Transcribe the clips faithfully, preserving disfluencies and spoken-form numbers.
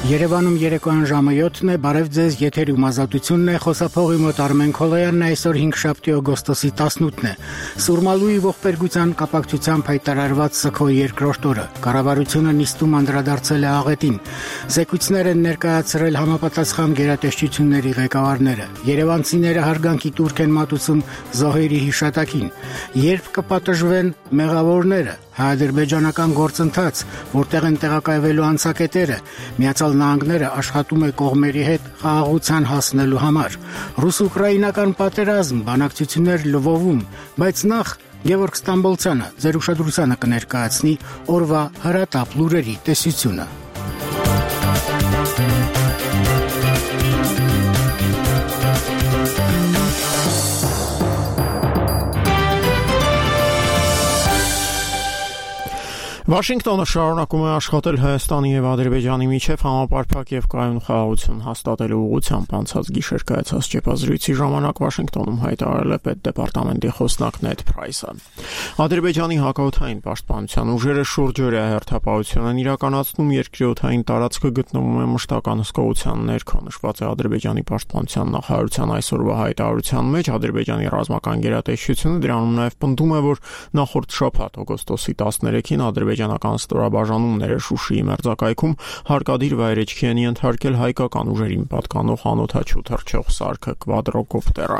Երևանում երեկոյան ժամը յոթն է, բարև ձեզ, եթերում ազատությունն է, խոսափողի մոտ Արմեն Քոլոյանն է, այսօր հինգշաբթի օգոստոսի տասնութն է։ Սուրմալուի ողբերգության կապակցությամբ հայտարարված Սքոյի երկրորդ օրը, կառավարությունը նիստում անդրադարձել է աղետին։ Զեկույցներ են ներկայացրել համապատասխան գերատեսչությունների ղեկավարները։ Երևանցիները հարգանքի տուրք են մատուցում զոհերի հիշատակին։ Երբ կպատժվեն մեղավորները, հայ-ադրբեջանական գործընթաց, որտեղ են տեղակայվելու անցակետերը, Միացյալ Նահանգները աշխատում է կողմերի հետ խաղաղության հասնելու համար։ Ռուս-ուկրաինական պատերազմ, բանակցություններ Լվովում, բայց նախ Գևորգ Ստամբոլցյանը ձեր ուշադրությանը կներկայացնի օրվա հրատապ լուրերի տեսությունը։ Վաշինգտոնը շարունակում է աշխատել Հայաստանի և Ադրբեջանի միջև համապարփակ և կայուն խաղաղություն հաստատելու ուղղությամբ անցած գիշեր կայացած ճեպազրույցի ժամանակ Վաշինգտոնում հայտարարել է պետդեպարտամենտի խոսնակ Նեդ Փրայսը։ Ադրբեջանի հակաօդային պաշտպանության ուժերը շուրջօրյա հերթապահություն են իրականացնում, երկրի օդային տարածքը գտնվում է մշտական հսկողության ներքո, նշված է Ադրբեջանի պաշտպանության նախարարության այսօրվա հայտարարության մեջ։ Ադրբեջանի ռազմական գերատեսչությունը դրանում նաև պնդում է, որ նախորդ շաբաթ օգոստոսի տասներեքին ադրբեջանական ստորաբաժանումները Շուշիի մերձակայքում հարկադիր վայրեջքի են ենթարկել հայկական ուժերին պատկանող անօդաչու թռչող սարքը կվադրոկոպտերը։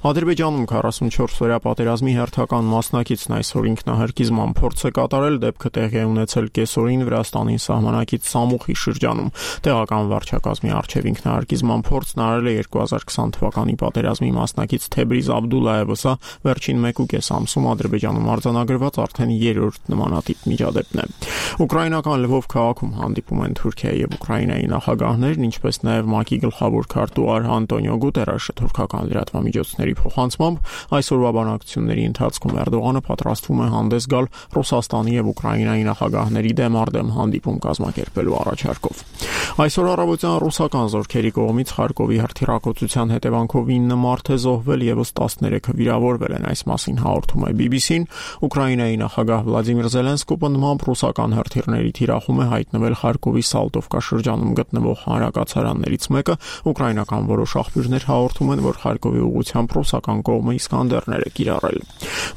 Ադրբեջանում քառասունչորս օրյա պատերազմի հերթական մասնակիցն այսօր ինքնահարկիզման փորձ է կատարել, դեպքը տեղի է ունեցել կեսօրին Վրաստանի սահմանակից Սամուխի շրջանում։ Տեղական վարչակազմի առջև ինքնահարկիզման փորձն արել է երկու հազար քսան թվականի պատերազմի մասնակից Թեբրիզ Աբդուլլայևը, սա վերջին մեկ ու կես ամսում Ադրբեջանում արձանագրված արդեն երրորդ նմանատիպ միջադեպն է։ Ուկրաինական Լվով քաղաքում հանդիպում են Թուրքիայի և Ուկրաինայի նախագահներն, ինչպես նաև ՄԱԿ-ի գլխավոր քարտուղար Անտոնիո Գուտերեշը թուրքական լրատվամիջոցների փոխանցմամբ այսօրվա բանակցությունների ընթացքում Էրդողանը պատրաստվում է հանդես գալ Ռուսաստանի և Ուկրաինայի նախագահների դեմ առ դեմ հանդիպում կազմակերպելու առաջարկով։ Այսօր առավոտյան ռուսական զորքերի կողմից Խարկովի հրթիռակոծության հետևանքով ինը մարդ է զոհվել, ևս տասներեքը վիրավորվել են, այս մասին հաղորդում է բի բի սին։ Ուկրաինայի նախագահ Վլադիմիր Զելենսկին նման ռուսական հրթիռների թիրախում է հայտնվել Խարկովի Սալտովկա շրջանում գտնվող հանրակացարաններից մեկը։ Ուկրաինական որոշ աղբյուրներ հաղորդում են, որ Խարկովի ուղղությամբ ռուսական կողմը Իսկանդերներ է կիրառել։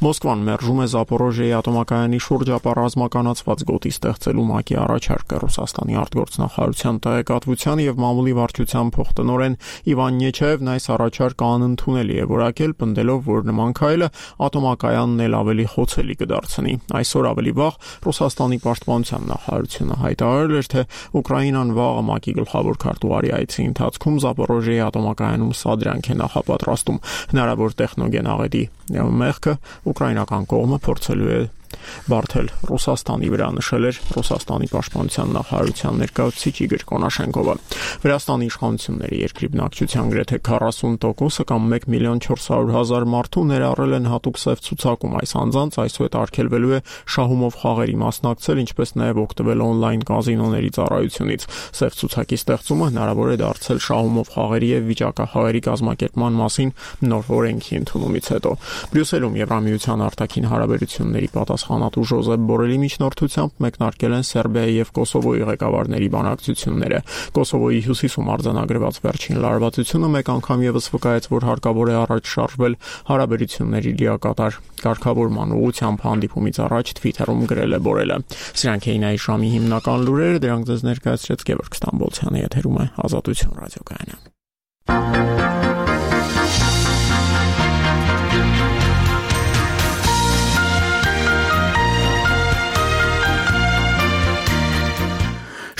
Մոսկվան մերժում է Զապորոժիայի ատոմակայանի շուրջ ապառազմականացված գոտի ստեղծելու ՄԱԿ-ի առաջարկը։ Ռուսաստանի արտգործնախարարության տեղեկատվության և մամուլի վարչության փոխտնօրեն Իվան Նեչաևն այս առաջարկը անընդունելի է որակել, պնդելով, որ նման քայլը ատոմակայանն էլ ավելի խոցելի կդարձնի։ Այսօր ավելի վաղ Ռուսաստանի պաշտպանության նախարարությունը հայտարարել էր, թե Ուկրաինան վաղը ՄԱԿ-ի գլխավոր քարտուղարի այցի ընթացքում Զապորոժիայի ատոմակայանում սադրանք է նախապատրաստում։ Հնարավոր տեխնոգեն աղետի մեղքը ուկրաինական կողմը փորձելու է բարդել Ռուսաստանի վրա, նշել էր Ռուսաստանի պաշտպանության նախարարության ներկայացուցիչ Իգոր Կոնաշենկովը։ Վրաստանի իշխանությունները երկրի բնակչության գրեթե քառասուն տոկոսը կամ մեկ միլիոն չորս հարյուր հազար մարդու ներառել են հատուկ սև ցուցակում։ Այս անձանց այսուհետ արգելվելու է շահումով խաղերի մասնակցել, ինչպես նաև օգտվել օնլայն կազինոների ծառայությունից։ Սև ցուցակի ստեղծումը հնարավոր է դարձել շահումով խաղերի և վիճակախաղերի կազմակերպման մասին նոր օրենքի ընդունումից հետո։ Բրյուսելում Եվրամիության արտաքին հարաբերությունների պատասխանատու Ժոզեփ Բորելի միջնորդությամբ մեկնարկել են Սերբիայի և Կոսովոյի ղեկավարների բանակցությունները։ Կոսովոյի հյուսիսում արձանագրված վերջին լարվածությունը մեկ անգամ ևս վկայեց, որ հարկավոր է առաջ շարժվել հարաբերությունների լիակատար կարգավորման ուղղությամբ հանդիպումից առաջ Թվիթերում գրել է Բորելը։ Սրանք էին այս ժամի հիմնական լուրերը, դրանք ձեզ ներկայացրեց Գևորգ Ստամբոլցյանը, եթերում է Ազատություն ռադիոկայանը։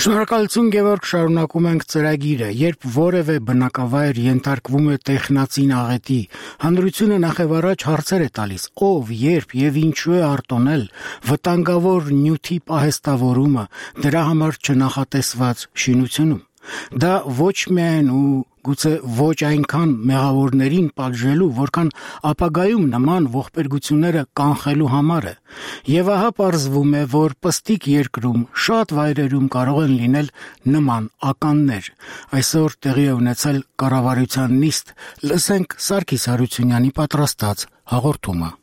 Շնորհակալություն Գևորգ, շարունակում ենք ծրագիրը։ Երբ որևէ բնակավայր ենթարկվում է տեխնացին աղետի, հանրությունը նախևառաջ հարցեր է տալիս՝ ով, երբ եւ ինչու է արտոնել, վտանգավոր նյութի պահեստավորումը, դրա համար չնախատեսված շինությունում։ Դա ոչ միայն ու գուցե ոչ այնքան մեղավորներին պատժելու, որքան ապագայում նման ողբերգությունները կանխելու համար է։ Եվ ահա պարզվում է, որ պստիկ երկրում շատ վայրերում կարող են լինել նման ականներ։ Այսօր տեղի է ունեցել կառավարության նիստ, լսենք Սարգիս Հարությունյանի պատրաստած հաղորդումը։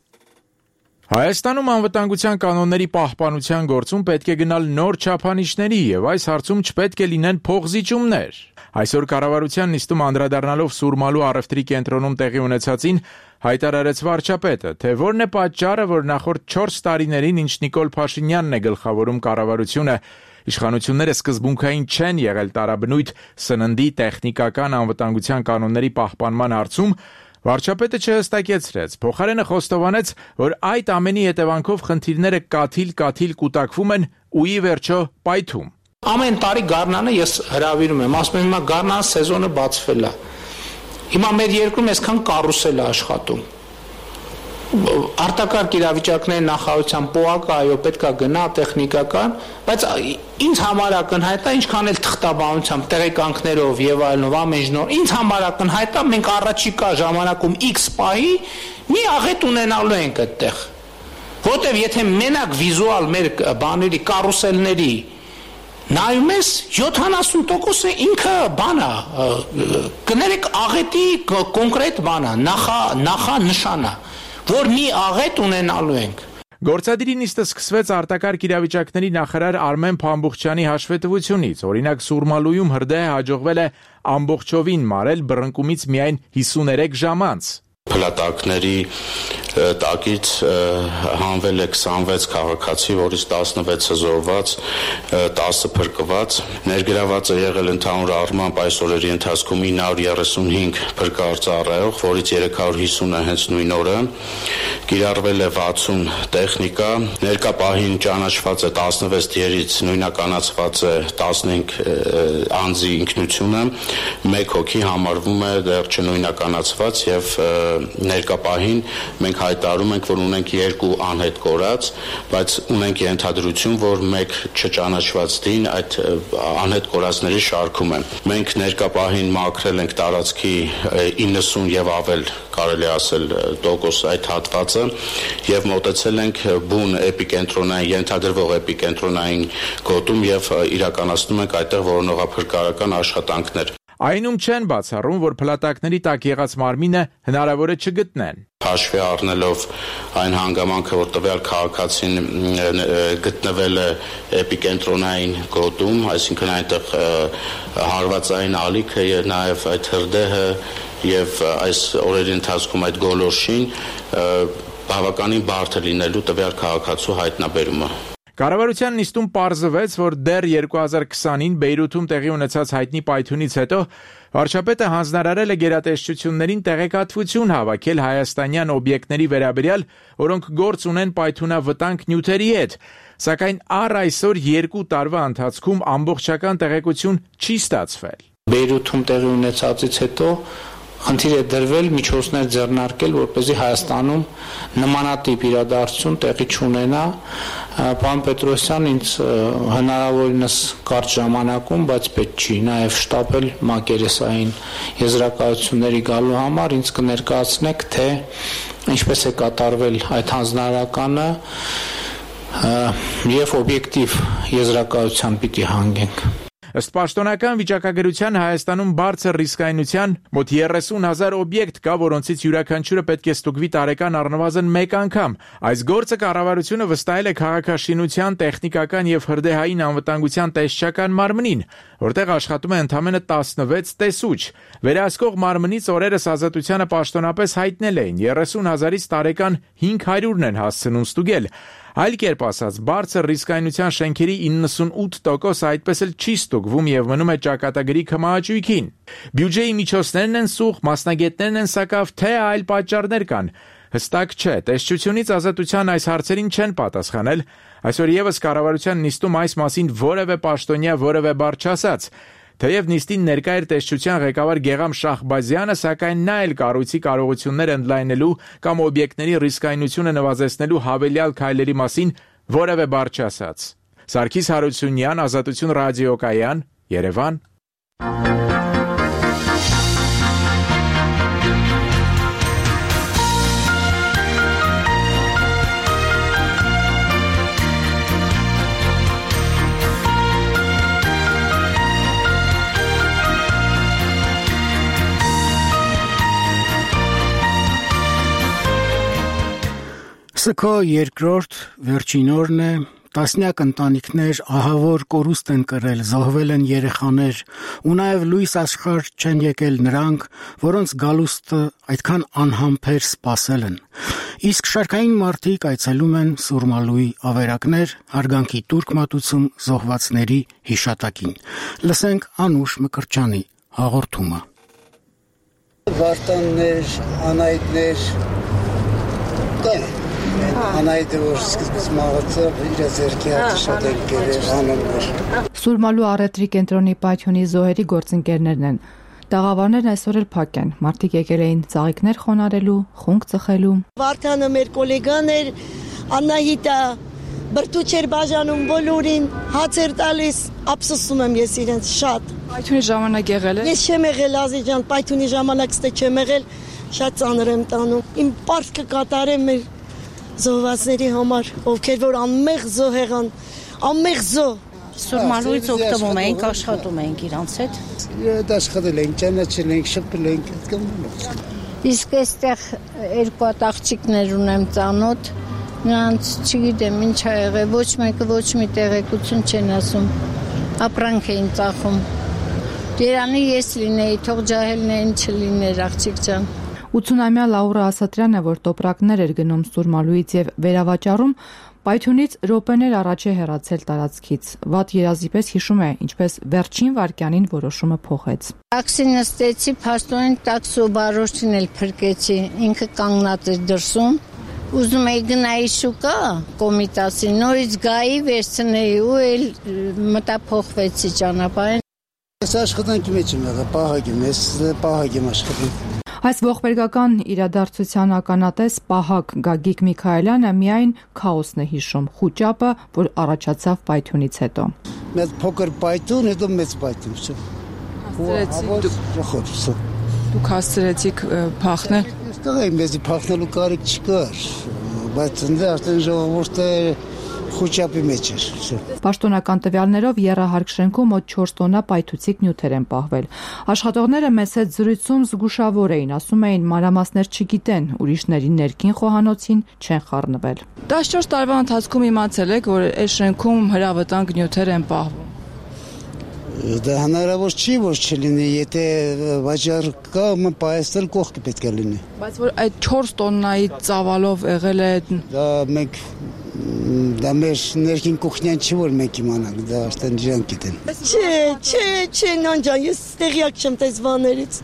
Հայաստանում անվտանգության կանոնների պահպանության գործում պետք է գնալ նոր չափանիշների եւ այս հարցում չպետք է լինեն փողզիջումներ։ Այսօր կառավարության նիստում անդրադառնալով Սուրմալու առևտրի կենտրոնում տեղի ունեցածին հայտարարեց վարչապետը, թե որն է պատճառը, որ նախորդ չորս տարիներին, ինչ Նիկոլ Փաշինյանն է գլխավորում կառավարությունը, իշխանությունները սկզբունքային չեն եղել տարաբնույթ սննդի տեխնիկական անվտանգության կանոնների պահպանման հարցում, վարչապետը չհստակեցրեց, փոխարենը խոստովանեց, որ այդ ամենի հետևանքով խնդիրները կաթիլ-կաթիլ կուտակվում են ու ի վերջո պայթում։ Ամեն տարի գարնանը ես հրավիրում եմ, ասում եմ հիմա գարնան սեզոնը բացվել է։ Հիմա մեր երկրում այսքան կարուսել է աշխատում։ Արտակարգ իրավիճակների նախարարության պոակը այո պետք է գնա տեխնիկական, բայց ինձ համար ակնհայտ է ինչքան էլ թղթաբանությամբ, տեղեկանքներով եւ այլնով ամեն նոր, ինձ համար ակնհայտ է մենք առաջիկա ժամանակում X պահի մի աղետ ունենալու ենք այդտեղ։ Որտեւ եթե մենակ վիզուալ մեր բաների կարուսելների նայում ես յոթանասուն տոկոսը ինքը բան է, կներեք աղետի կոնկրետ բան է, նախա նախանշան է, որ մի աղետ ունենալու ենք։ Գործադիրի նիստը սկսվեց արտակարգ իրավիճակների նախարար Արմեն Փամբուխչյանի հաշվետվությունից, օրինակ Սուրմալույում հրդեհը հաջողվել է ամբողջովին մարել բռնկումից միայն հիսուներեք ժամ անց։ Փլատակների տակից հանվել է քսանվեց քաղաքացի, որից տասնվեցը զոհված, տասը փրկված։ Ներգրաված է եղել ընդհանուր առմամբ այս օրերի ընթացքում ինը հարյուր երեսունհինգ փրկարար ծառայող, որից երեք հարյուր հիսունը հենց նույն օրը։ Կիրառվել է վաթսուն տեխնիկա, ներկա պահին ճանաչված է տասնվեց դիերից նույնականացված է տասնհինգ անձի ինքնությունը, մեկ հոգի համարվում է դեռ չնույնականացված եւ ներկա պահին մենք հայտարարում ենք, որ ունենք երկու անհետ կորած, բայց ունենք ենթադրություն, որ մեկ չճանաչված դին այդ անհետ կորածների շարքում է։ Մենք ներկա պահին մաքրել ենք տարածքի իննսուն եւ ավել, կարելի ասել, տոկոս այդ հատվածը եւ մոտեցել ենք բուն էպիկենտրոնային, ենթադրվող էպիկենտրոնային գոտում եւ իրականացնում ենք այդտեղ որոնողափրկարական աշխատանքներ։ Այնում չեն բացառում, որ փլատակների տակ եղած մարմինը հնարավոր է չգտնեն։ Հաշվի առնելով այն հանգամանքը, որ տվյալ քաղաքացին գտնվել է էպիկենտրոնային գոտում, այսինքն այնտեղ հարվածային ալիքը եւ նաեւ այդ հրդեհը եւ այս օրերի ընթացքում այդ գոլորշին բավականին բարդ է լինելու տվյալ քաղաքացու հայտնաբերումը։ Կառավարության նիստում պարզվեց, որ դեռ երկու հազար քսանին Բեյրութում տեղի ունեցած հայտնի պայթյունից հետո վարչապետը հանձնարարել է գերատեսչություններին տեղեկատվություն հավաքել հայաստանյան օբյեկտների վերաբերյալ, որոնք գործ ունեն պայթյունավտանգ նյութերի հետ, սակայն առ այսօր երկու տարվա ընթացքում ամբողջական տեղեկություն չի ստացվել։ Բեյրութում տեղի ունեցածից հետո խնդիր է դրվել միջոցներ ձեռնարկել, որպեսզի Հայաստանում նմանատիպ իրադարձություն տեղի չունենա։ Պարոն Պետրոսյան ինձ հնարավորինս կարճ ժամանակում, բայց պետք չի նաև շտապել մակերեսային եզրակացությունների գալու համար, ինձ կներկայացնեք, թե ինչպես է կատարվել այդ հանձնարարականը եւ օբյեկտիվ եզրակացության պիտի հանգենք։ Ըստ պաշտոնական վիճակագրության Հայաստանում բարձր ռիսկայնության մոտ երեսուն հազար օբյեկտ կա, որոնցից յուրաքանչյուրը պետք է ստուգվի տարեկան առնվազն մեկ անգամ։ Այս գործը կառավարությունը վստահել է քաղաքաշինության, տեխնիկական եւ հրդեհային անվտանգության տեսչական մարմնին, որտեղ աշխատում է ընդամենը տասնվեց տեսուչ։ Վերահսկող մարմնից օրերս Ազատությանը պաշտոնապես հայտնել էին երեսուն հազարից տարեկան հինգ հարյուրն են հասցնում ստուգել։ Այլ կերպ ասած, բարձր ռիսկայնության շենքերի իննսունութ տոկոսը այդպես էլ չի ստուգվում եւ մնում է ճակատագրի քմահաճույքին։ Բյուջեի միջոցներն են սուղ, մասնագետներն են սակավ, թե այլ պատճառներ կան։ Հստակ չէ, տեսչությունից Ազատության այս հարցերին չեն պատասխանել։ Այսօր եւս կառավարության նիստում այս մասին որևէ պաշտոնյա որևէ բառ չասաց։ Թեև նիստին ներկա էր տեսչության ղեկավար Գեգամ Շահբազյանը, սակայն նա էլ կառույցի կարողություններ ընդլայնելու կամ օբյեկտների ռիսկայնությունը նվազեցնելու հավելյալ քայլերի մասին որևէ բառ չասաց։ Սարգիս Հարությունյան, Ազատություն ռադիոկայան, Երևան։ Սքո երկրորդ վերջին օրն է, տասնյակ ընտանիքներ ահավոր կորուստ են կրել, զոհվել են երեխաներ, ու նաև լույս աշխարհ չեն եկել նրանք, որոնց գալուստը այդքան անհամբեր սպասել են։ Իսկ շարքային մարդիկ այցելում են Սուրմալուի ավերակներ, հարգանքի տուրք մատուցում զոհվածների հիշատակին։ Լսենք Անուշ Մկրտչյանի հաղորդումը։ Վարտաններ, անայդներ, կան։ Անայդը, որ սկզբից մահացավ, իր ձեռքի հատը շատ էլ գերեր, անոններ։ Սուրմալու առևտրի կենտրոնի պայթյունի զոհերի գործընկերներն են։ Տաղավարներն այսօր էլ փակ են։ Մարդիկ եկել էին ծաղիկներ խոնարելու, խունկ ծխելու։ Վարդանը մեր գոլեգան էր, Անահիտը բրդուճ էր բաժանում բոլորին, հաց էր տալիս, ափսոսում եմ ես իրենց շատ։ Պայթյունի ժամանակ եղել է։ Ես չեմ եղել Ազի ջան, պայթյունի ժամանակ ստե չեմ եղել, շատ ծանր եմ տանում։ Իմ պարտքը կատարեմ մեր զոհվածների համար, ովքեր որ անմեղ զոհ եղան, անմեղ զոհ։ Սուրմալուից օգտվում ենք, աշխատում ենք իրանց հետ։ Եդ աշխատել ենք, ճանաչել ենք, շփվել ենք, այդքան։ Իսկ այստեղ երկու հատ աղջիկներ ունեմ ծանոթ, նրանց չգիտեմ ինչ ա եղել, ոչ մեկը ոչ մի տեղեկություն չեն ասում, ապրանք էին ծախում։ Երանի ես լինեի, թող ջահելներին չլիներ աղջիկ ջան։ ութսունամյա Լաուրա Ասատրյանը, որ տոպրակներ էր գնում Սուրմալուից եւ վերավաճառում, պայթյունից րոպեներ առաջ է հեռացել տարածքից։ Վատ երազի պես հիշում է, ինչպես վերջին վայրկյանին որոշումը փոխեց։ Տաքսի նստեցի, փաստորեն տաքսու վարորդին էլ փրկեցի, ինքը կանգնած էր դրսում։ Ուզում էի գնայի շուկա, Կոմիտասի, նորից գայի վերցնեի ու էլ մտափոխվեցի ճանապարհին։ Ես աշխատանքի մեջ եմ եղել, պահակ եմ, ես պահակ եմ աշխատում։ Այս ողբերգական իրադարձության ականատես պահակ Գագիկ Միքայելյանը միայն քաոսն է հիշում, խուճապը, որ առաջացավ պայթյունից հետո։ Մեծ փոքր պայթյուն, հետո մեծ պայթյուն։ Դուք հասցրեցիք փախնել։ Այստեղ էի, մեզի փախնելու կարիք չկար, բայց ընդ արդեն ժողովուրդը խուճապի մեջ էր։ Պաշտոնական տվյալներով եռահարկ շենքում մոտ չորս տոննա պայթուցիկ նյութեր են պահվել։ Աշխատողները մեծ հետ զրույցում զգուշավոր էին, ասում էին մանրամասներ չգիտեն, ուրիշների ներքին խոհանոցին չեն խառնվել։ տասնչորս տարվա ընթացքում իմացել եք, որ այս շենքում հրավտանգ նյութեր են պահվում։ Դա հնարավոր չի, որ չլինի, եթե վաճառ կա, պահեստել կողքը պետք է լինի։ Բայց որ այդ չորս տոննայի ծավալով եղել է։ Դա մենք դա մեր ներքին կուխնյան չի, որ մենք իմանանք, դա արդեն իրանք գիտեն։ Չէ, չէ, չէ, նան ջան, ես տեղյակ չեմ տես բաներից։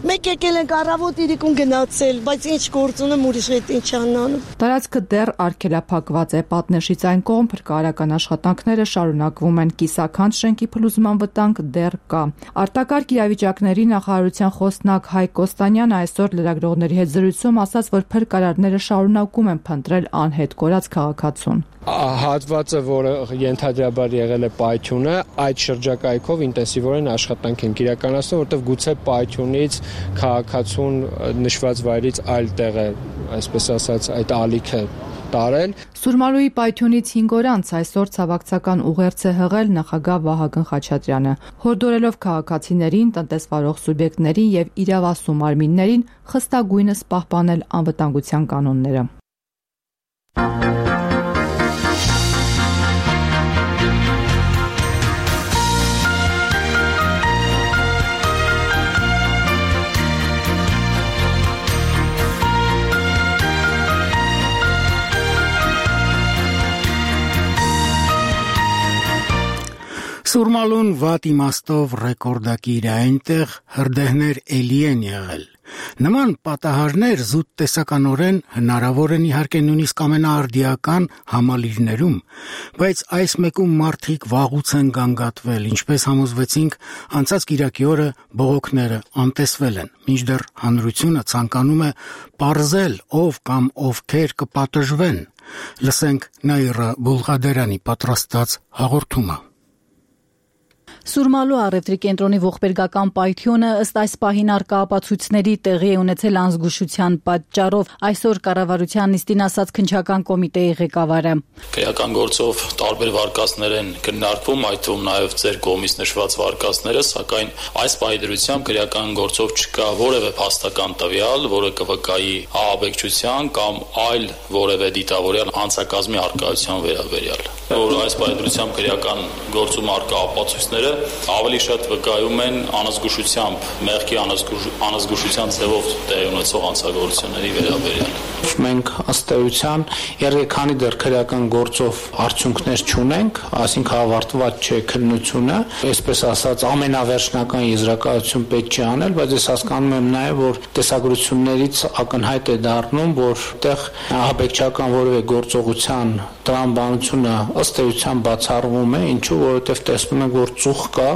Մեկ եկել ենք առավոտ իրիկուն գնացել, բայց ինչ գործ ունեմ ուրիշ հետ ինչ անանում։ Տարածքը դեռ արգելափակված է, պատնեշից այն կողմ փրկարարական աշխատանքները շարունակվում են, կիսաքանդ շենքի փլուզման վտանգ դեռ կա։ Արտակարգ իրավիճակների նախարարության խոսնակ Հայկ Կոստանյանը այսօր լրագրողների հետ զրույցում ասաց, որ փրկարարները շարունակում են փնտրել անհետ կորած քաղաքացուն։ Հատվածը, որը ենթադրաբար եղել է պայթյունը, այդ շրջակայքով ինտենսիվորեն աշխատանք են իրականացնում, որտեղ գուցե պայթյունից քաղաքացուն նշված վայրից այլ տեղ է, այսպես ասած, այդ ալիքը տարել։ Սուրմալուի պայթյունից հինգ օր անց այսօր ցավակցական ուղերձ է հղել նախագահ Վահագն Խաչատրյանը, հորդորելով քաղաքացիներին, տնտեսվարող սուբյեկտներին եւ իրավասու մարմիններին խստագույնս պահպանել անվտանգության կանոնները։ Սուրմալուն վատ իմաստով ռեկորդակիր է, այնտեղ հրդեհներ էլի են եղել։ Նման պատահարներ զուտ տեսականորեն հնարավոր են իհարկե նույնիսկ ամենաարդիական համալիրներում, բայց այս մեկում մարդիկ վաղուց են գանգատվել, ինչպես համոզվեցինք անցած կիրակի օրը բողոքները անտեսվել են, մինչդեռ հանրությունը ցանկանում է պարզել ով կամ ովքեր կպատժվեն։ Լսենք Նաիրա Բուլղադերյանի պատրաստած հաղորդումը։ Սուրմալու առևտրի կենտրոնի ողբերգական պայթյունը ըստ այս պահին առկա ապացույցների տեղի է ունեցել անզգուշության պատճառով, այսօր կառավարության նիստին ասաց քննչական կոմիտեի ղեկավարը։ Քրեական գործով տարբեր վարկածներ են քննարկվում, այդ թվում նաև ձեր կողմից նշված վարկածները, սակայն այս պահի դրությամբ քրեական գործով չկա որևէ փաստական տվյալ, որը կվկայի ահաբեկչության կամ այլ որևէ դիտավորյալ անձակազմի առկայության վերաբերյալ։ Որ այս պահի դրությամբ քրեական գործում առկա ապացույցները ավելի շատ վկայում են անազգուշությամբ, մեղքի անազգուշության ձևով տեղի ունեցող հանցագործությունների վերաբերյալ։ Մենք ըստ էության երեքանի դեռ քրեական գործով արդյունքներ չունենք, այսինքն ավարտված չէ քննությունը, այսպես ասած ամենավերջնական եզրակացություն պետք չի անել, բայց ես հասկանում եմ նաև, որ տեսագրություններից ակնհայտ է դառնում, որ այդտեղ ահաբեկչական որևէ գործողության տրամաբանությունը ըստ էության բացառվում է, ինչու, որովհետև տեսնում ենք, որ ծուխ կա,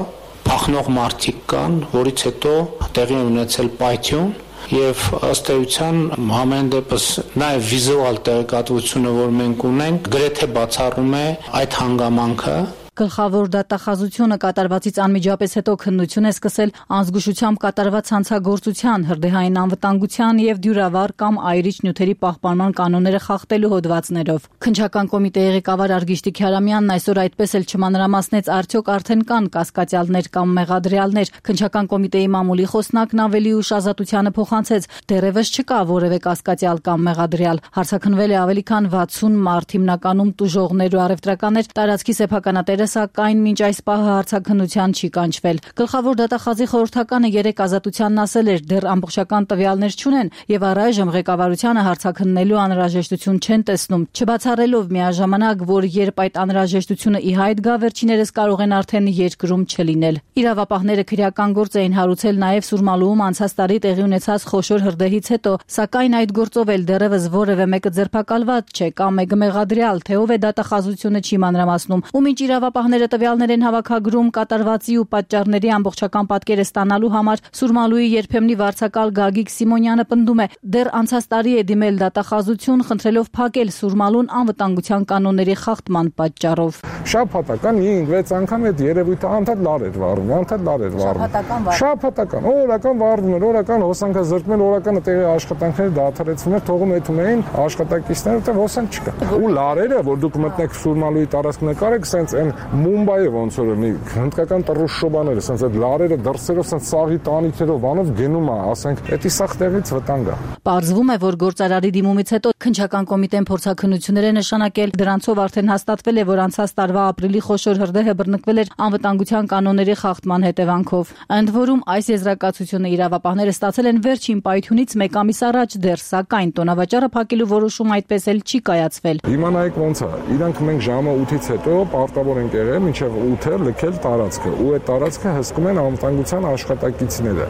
փախնող մարդիկ կան, որից հետո տեղի ունեցել պայթյուն եւ ըստ էության ամեն դեպս նաեւ վիզուալ տեղեկատվությունը, որ մենք ունենք, գրեթե բացառում է այդ հանգամանքը։ Գլխավոր դատախազությունը կատարվածից անմիջապես հետո քննություն է սկսել անզգուշությամբ կատարված հանցագործության, հրդեհային անվտանգության եւ դյուրավառ կամ այրիչ նյութերի պահպանման կանոնները խախտելու հոդվածներով։ Քննչական կոմիտեի ղեկավար Արգիշտի Քյարամյանն այսօր այդպես էլ չմանրամասնեց, արդյոք արդեն կան կասկածյալներ կամ մեղադրյալներ։ Քննչական կոմիտեի մամուլի խոսնակն ավելի ուշ ազատությանը փոխանցեց, դեռևս չկա որևէ կասկածյալ կամ մեղադրյալ։ Հարցաքննվել է ավելի քան վաթսուն մարդ, հիմնականում տուժողներ ու առևտրականներ, տարածքի սեփականատերը սակայն մինչ այս պահը հարցաքննության չի կանչվել։ Գլխավոր դատախազի խորհրդականը երեք ազատությանն ասել էր, դեռ ամբողջական տվյալներ չունեն եւ առայժմ ղեկավարությանը հարցաքննելու անհրաժեշտություն չեն տեսնում, չբացառելով միաժամանակ, որ երբ այդ անհրաժեշտությունը ի հայտ գա, վերջիներս կարող են արդեն երկրում չլինել։ Իրավապահները քրեական գործ էին հարուցել նաեւ Սուրմալուում անցած տարի տեղի ունեցած խոշոր հրդեհից հետո, սակայն այդ գործով էլ դեռևս որևէ մեկը ձերբակալված չէ կամ մեկը մեղադրյալ, թե ով է դատախազությունը չի մանրամասնում։ Ու մինչ իրավապահները տվյալներ են հավաքագրում կատարվածի ու պատճառների ամբողջական պատկերը ստանալու համար, Սուրմալուի երբեմնի վարձակալ Գագիկ Սիմոնյանը պնդում է, դեռ անցած տարի է դիմել դատախազություն, խնդրելով փակել Սուրմալուն անվտանգության կանոնների խախտման պատճառով։ Շաբաթական հինգ վեց անգամ այդ երևույթը անդադ լար էր վառվում, անդադ լար էր վառվում։ Շաբաթական, օրական վառվում էր, օրական հոսանքը զրկում էր, օրականը տեղի աշխատանքները դադարեցվում էր, թողում էթում էին աշխատակիցները, որտեղ հոսանք չկա։ Ու լարերը, որ դուք մտնեք Սուրմալուի տարածք նկարեք, սենց այն Մումբայը ոնց որ մի հնդկական տրուշոբաները, սենց այդ լարերը դրսերով սենց սաղի տանիքերով բանով գնում է, ասենք, դա սաղ տեղից վտանգ է։ Պարզվում է, որ գործարարի դիմումից հետո քննչական կոմիտեն փորձաքննություններ է նշանակել, դրանցով արդեն հաստատվել է, որ անցած տարվա ապրիլի խոշոր հրդեհը բռնկվել էր անվտանգության կանոնների խախտման հետևանքով։ Ընդ որում այս եզրակացությունը իրավապահները ստացել են վերջին պայթյունից մեկ ամիս առաջ դեռ, սակայն տոնավաճառը փակելու որոշումը այդպես էլ չի կայացվել։ Հիմա նայեք ոնց է, իրանք մենք ժամը ութից հետո պարտավոր ենք եղել մինչև ութը լքել տարածքը, ու այդ տարածքը հսկում են անվտանգության աշխատակիցները։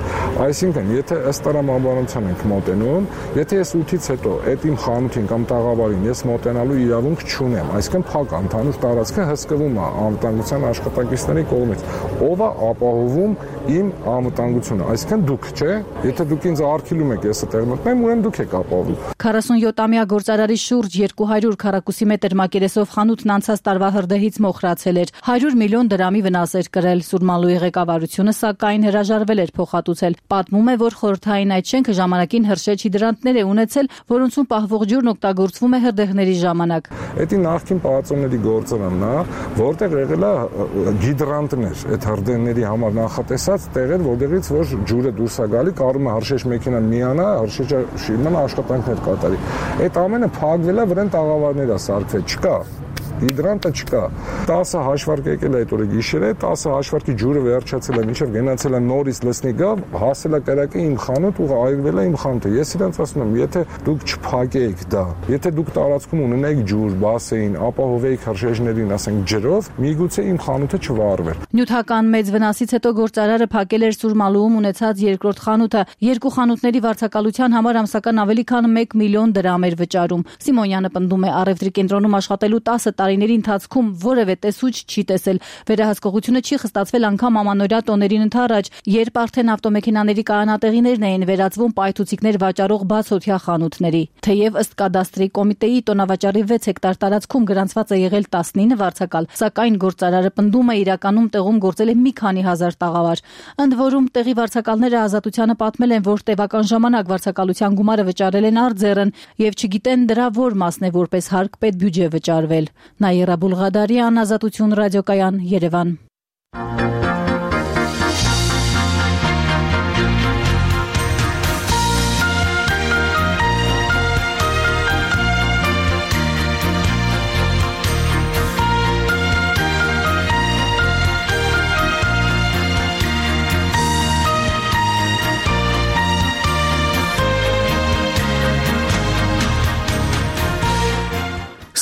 Այսինքն, եթե ըստ տրամաբանության ենք մոտենում, եթե ես ութից հետո այդ իմ խանութին կամ տաղավարին ես մոտենալու իրավունք չունեմ, այսինքն փակ ընդհանուր տարածքը հսկվում է անվտանգության աշխատակիցների կողմից, ով է ապահովում իմ անվտանգությունը, այսինքն դուք, չէ՞։ Եթե դուք ինձ արգելում եք ես այդտեղ մտնեմ, ուրեմն դուք եք ապահովում։ քառասունյոթամյա գործարարի շուրջ երկու հարյուր քառակուսի մետր մակերեսով խանութն անցած տարվա հրդեհից մոխրացել էր, հարյուր միլիոն դրամի վնաս էր կրել։ Սուրմալուի ղեկավարությունը սակայն հրաժարվել էր փոխհատուցել։ Պատմում է, որ խորհրդային այդ շենքը ժամանակին հրշեջ հիդրանտներ է ունեցել, որոնցում պահվող ջուրն օգտագործվում է հրդեհների ժամանակ։ Դա նախկին պալատոների գործարանն է, որտեղ եղել է հիդրանտներ, այդ հրդեհների համար նախատեսած տեղեր, որտեղից որ ջուրը դուրս է գալի, կարում է հրշեջ մեքենան միանա, հրշեջը շիման աշխատանքներ կատարի։ Այդ ամենը փակվել է, վրան տաղավարներ է սարքվել, չկա։ Հիդրանտը չկա։ տասը հաշվարկ եկել է այդ օրը գիշերը, տասը հաշվարկի ջուրը վերջացել է, մինչև գնացել է նորից լսնիկը, հասել է կրակը իմ խանութ ու այրվել է իմ խանութը։ Ես իրենց ասում եմ, եթե դուք չփակեիք դա, եթե դուք տարածքում ունենայիք ջուր, բասեին, ապահովեիք հրշեջներին, ասենք ջրով, միգուցե իմ խանութը չվառվեր։ Նյութական մեծ վնասից հետո գործարարը փակել էր Սուրմալուում ունեցած երկրորդ խանութը։ Երկու խանութների վարձակալության համար ամսական ավելի քան մեկ միլիոն դրամ էր վճարում։ Սիմոնյանը պնդում է, առևտրի կենտրոնում աշխատելու տասը տարի տարիների ընթացքում որևէ տեսուչ չի տեսել։ Վերահսկողությունը չի խստացվել անգամ ամանորյա տոներին ընդառաջ, երբ արդեն ավտոմեքենաների կայանատեղիներն էին վերածվում պայթուցիկներ վաճառող բացօթյա խանութների։ Թեև ըստ կադաստրի կոմիտեի տոնավաճառի վեց հեկտար տարածքում գրանցված է եղել տասնինը վարձակալ, սակայն գործարարը պնդում է իրականում տեղում գործել է մի քանի հազար տաղավար։ Ընդ որում տեղի վարձակալները ազատությանը պատմել են, որ տևական ժամանակ վարձակալության գումարը վճարել են արձերն եւ չգիտեն դրա որ մասն է որպես հարկ պետբյուջե վճարվել։ Նաիրա Բուլղադարյան, Ազատություն ռադիոկայան, Երևան։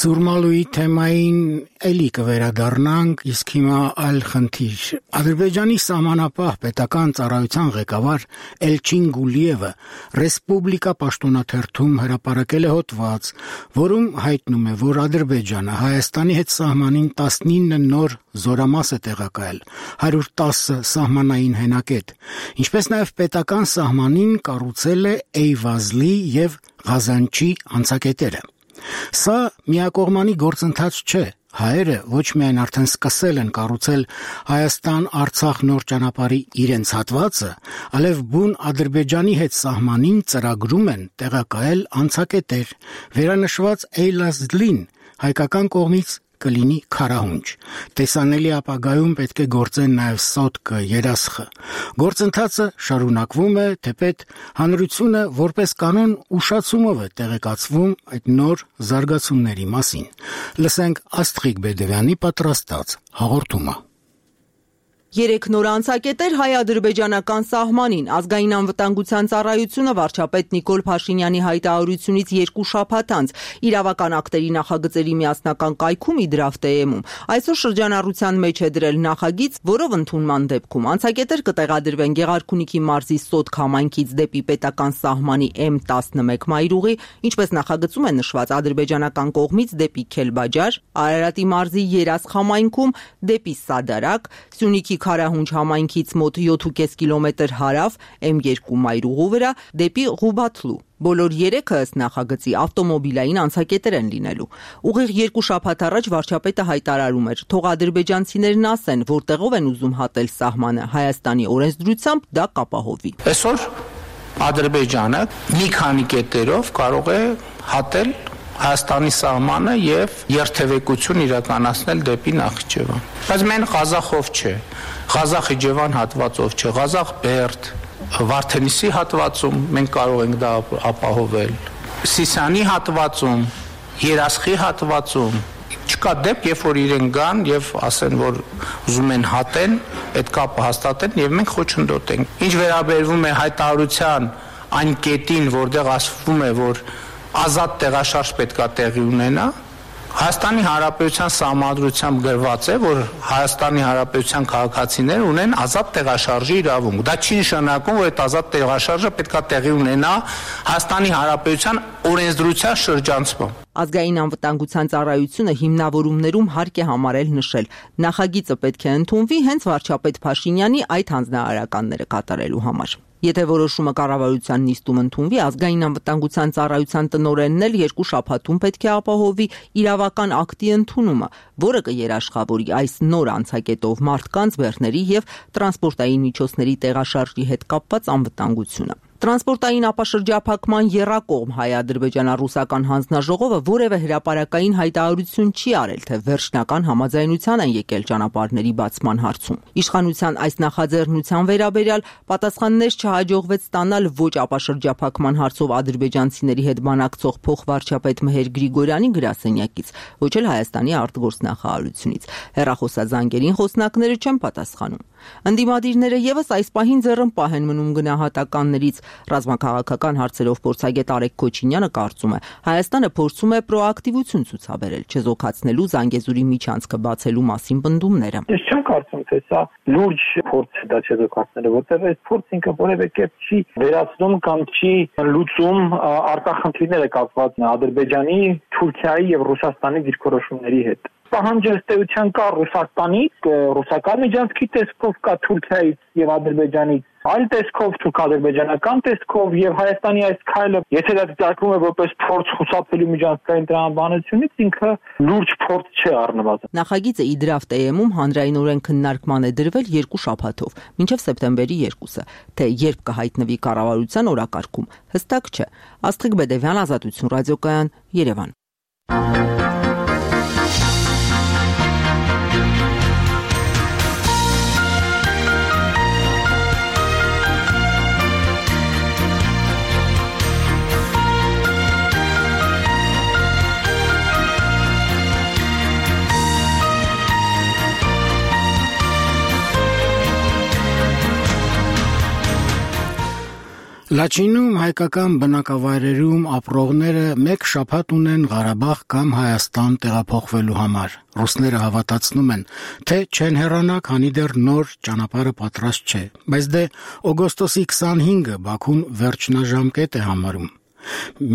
Սուրմալուի թեմային էլի կվերադառնանք, իսկ հիմա այլ խնդիր։ Ադրբեջանի սահմանապահ պետական ծառայության ղեկավար Էլչին Գուլիևը Ռեսպուբլիկա պաշտոնաթերթում հրապարակել է հոդված, որում հայտնում է, որ Ադրբեջանը Հայաստանի հետ սահմանին տասնինը նոր զորամաս է տեղակայել, հարյուր տասը սահմանային հենակետ, ինչպես նաև պետական սահմանին կառուցել է Էյվազլի եւ Ղազանչի անցակետերը։ Սա միակողմանի գործընթաց չէ։ Հայերը ոչ միայն արդեն սկսել են կառուցել Հայաստան-Արցախ նոր ճանապարհի իրենց հատվածը, այլև բուն Ադրբեջանի հետ սահմանին ծրագրում են տեղակայել անցակետեր, վերանշված Էյվազլին հայկական կողմից կլինի քարահունչ։ Տեսանելի ապագայում պետք է գործեն նաև սոտկը, երասխը։ Գործընթացը շարունակվում է, թեպետ հանրությունը որպես կանոն ուշացումով է տեղեկացվում այդ նոր զարգացումների մասին։ Լսենք Աստղիկ Բեդևյանի պատրաստած հաղորդումը։ Երեք նոր անցակետեր հայ-ադրբեջանական սահմանին ազգային անվտանգության ծառայությունը վարչապետ Նիկոլ Փաշինյանի հայտարարությունից երկու շաբաթ անց իրավական ակտերի նախագծերի միասնական կայքում Իդրավտեեմում այսօր շրջանառության մեջ է դրել նախագիծ, որով ընդունման դեպքում անցակետեր կտեղադրվեն Գեղարքունիքի մարզի Սոտք համայնքից դեպի պետական սահմանի էմ տասնմեկ մայրուղի, ինչպես նախագծում է նշված ադրբեջանական կողմից դեպի Քելբաջար, Արարատի մարզի Երասխ համայնքում դեպի Սադարակ, Սյունիքի Քարահունչ համայնքից մոտ յոթ ու կես կիլոմետր հարավ էմ երկու մայրուղու վրա դեպի Ղուբաթլու։ Բոլոր երեքը ըստ նախագծի ավտոմոբիլային անցակետեր են լինելու։ Ուղիղ երկու շաբաթ առաջ վարչապետը հայտարարում էր, թող ադրբեջանցիներն ասեն, որտեղով են ուզում հատել սահմանը, Հայաստանի օրենսդրությամբ դա կապահովի։ Այսօր Ադրբեջանը մի քանի կետերով կարող է հատել Հայաստանի սահմանը եւ երթևեկություն իրականացնել դեպի Նախիջևան։ Բայց մեն Ղազախով չէ, Ղազախ-Իջևան հատվածով չէ, Ղազախ-Բերդ, Վարդենիսի հատվածում մենք կարող ենք դա ապահովել։ Սիսիանի հատվածում, Երասխի հատվածում չկա դեպք, երբ որ իրեն գան եւ ասեն, որ ուզում են հատեն, այդ կապը հաստատեն եւ մենք խոչընդոտենք։ Ինչ վերաբերվում է հայտարարության այն կետին, որտեղ ասվում է, որ ազատ տեղաշարժ պետքա տեղի ունենա, Հայաստանի Հանրապետության Սահմանադրությամբ գրված է, որ Հայաստանի Հանրապետության քաղաքացիներ ունեն ազատ տեղաշարժի իրավունք։ Դա չի նշանակում, որ այդ ազատ տեղաշարժը պետքա տեղի ունենա Հայաստանի Հանրապետության օրենսդրության շրջանցմամբ։ Ազգային անվտանգության ծառայությունը հիմնավորումներում հարկ է համարել նշել, նախագիծը պետք է ընդունվի հենց վարչապետ Փաշինյանի այդ հանձնարարականները կատարելու համար։ Եթե որոշումը կառավարության նիստում ընդունվի, ազգային անվտանգության ծառայության տնօրենն էլ երկու շաբաթում պետք է ապահովի իրավական ակտի ընդունումը, որը կերաշխավորի այս նոր անցակետով մարդկանց, բեռների եւ տրանսպորտային միջոցների տեղաշարժի հետ կապված անվտանգությունը։ Տրանսպորտային ապաշրջափակման եռակողմ հայ-ադրբեջանա-ռուսական հանձնաժողովը որևէ հրապարակային հայտարարություն չի արել, թե վերջնական համաձայնության են եկել ճանապարհների բացման հարցում։ Իշխանության այս նախաձեռնության վերաբերյալ պատասխաններ չհաջողվեց ստանալ ոչ ապաշրջափակման հարցով ադրբեջանցիների հետ բանակցող փոխվարչապետ Մեհեր Գրիգորյանի գրասենյակից, ոչ էլ Հայաստանի արտգործնախարարությունից։ Հեռախոսազանգերին խոսնակները չեն պատասխանում։ Ընդդիմադիրները եւս այս պահին ձեռնպահ են մնում գնահատականներից։ Ռազմաքաղաքական հարցերով փորձագետ Արեգ Քոչինյանը կարծում է, Հայաստանը փորձում է պրոակտիվություն ցուցաբերել, չեզոքացնելու Զանգեզուրի միջանցքը բացելու մասին պնդումները։ Ես չեմ կարծում, թե սա լուրջ փորձ է դա չեզոքացնելը, որտեղ այս փորձը ինքը որևէ կերպ չի վերացնում կամ չի լուծում արտախնդիրները կապված Ադրբեջանի, Թուրքիայի եւ Ռուսաստանի դիրքորոշումների հետ։ պահանջը ըստ էության կա Ռուսաստանից, ռուսական միջանցքի տեսքով կա Թուրքիայից եւ Ադրբեջանից, այլ տեսքով թուրք-ադրբեջանական տեսքով եւ Հայաստանի այս քայլը, եթե դա դիտարկվում է որպես փորձ խուսափելու միջանցքային տրամաբանությունից, ինքը լուրջ փորձ չէ առնվազն։ Նախագիծը իդրավ տեեմում հանրայնորեն քննարկման է դրվել երկու շաբաթով, մինչև սեպտեմբերի երկուսը, թե երբ կհայտնվի կառավարության օրակարգում, հստակ չէ։ Աստղիկ Բեդևյան, Ազատություն ռադիոկայան, Երևան։ Լաչինում հայկական բնակավայրերում ապրողները մեկ շաբաթ ունեն Ղարաբաղ կամ Հայաստան տեղափոխվելու համար։ Ռուսները հավատացնում են, թե չեն հեռանա, քանի դեռ նոր ճանապարհը պատրաստ չէ, բայց դե օգոստոսի քսանհինգը Բաքուն վերջնաժամկետ է համարում։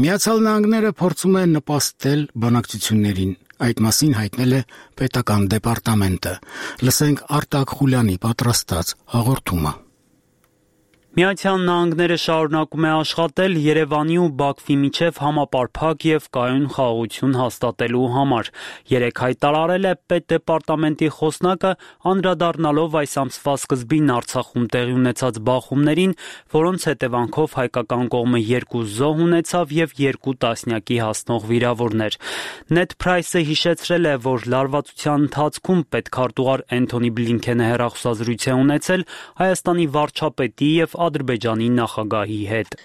Միացյալ Նահանգները փորձում է նպաստել բանակցություններին։ Այդ մասին հայտնել է պետական դեպարտամենտը։ Լսենք Արտակ Խուլյանի պատրաստած հաղորդումը։ Միացյալ Նահանգները շարունակում է աշխատել Երևանի ու Բաքվի միջև համապարփակ եւ կայուն խաղաղություն հաստատելու համար։ Երեկ հայտարարել է պետդեպարտամենտի խոսնակը, անդրադառնալով այս ամսվա սկզբին Արցախում տեղի ունեցած բախումներին, որոնց հետևանքով հայկական կողմը երկու զոհ ունեցավ եւ երկու տասնյակի հասնող վիրավորներ։ Նեդ Փրայսը հիշեցրել է, որ լարվածության ընթացքում պետքարտուղար Էնթոնի Բլինքենը հեռախոսազրույց է ունեցել Հայաստանի վարչապետի եւ Ադրբեջանի նախագահի հետ։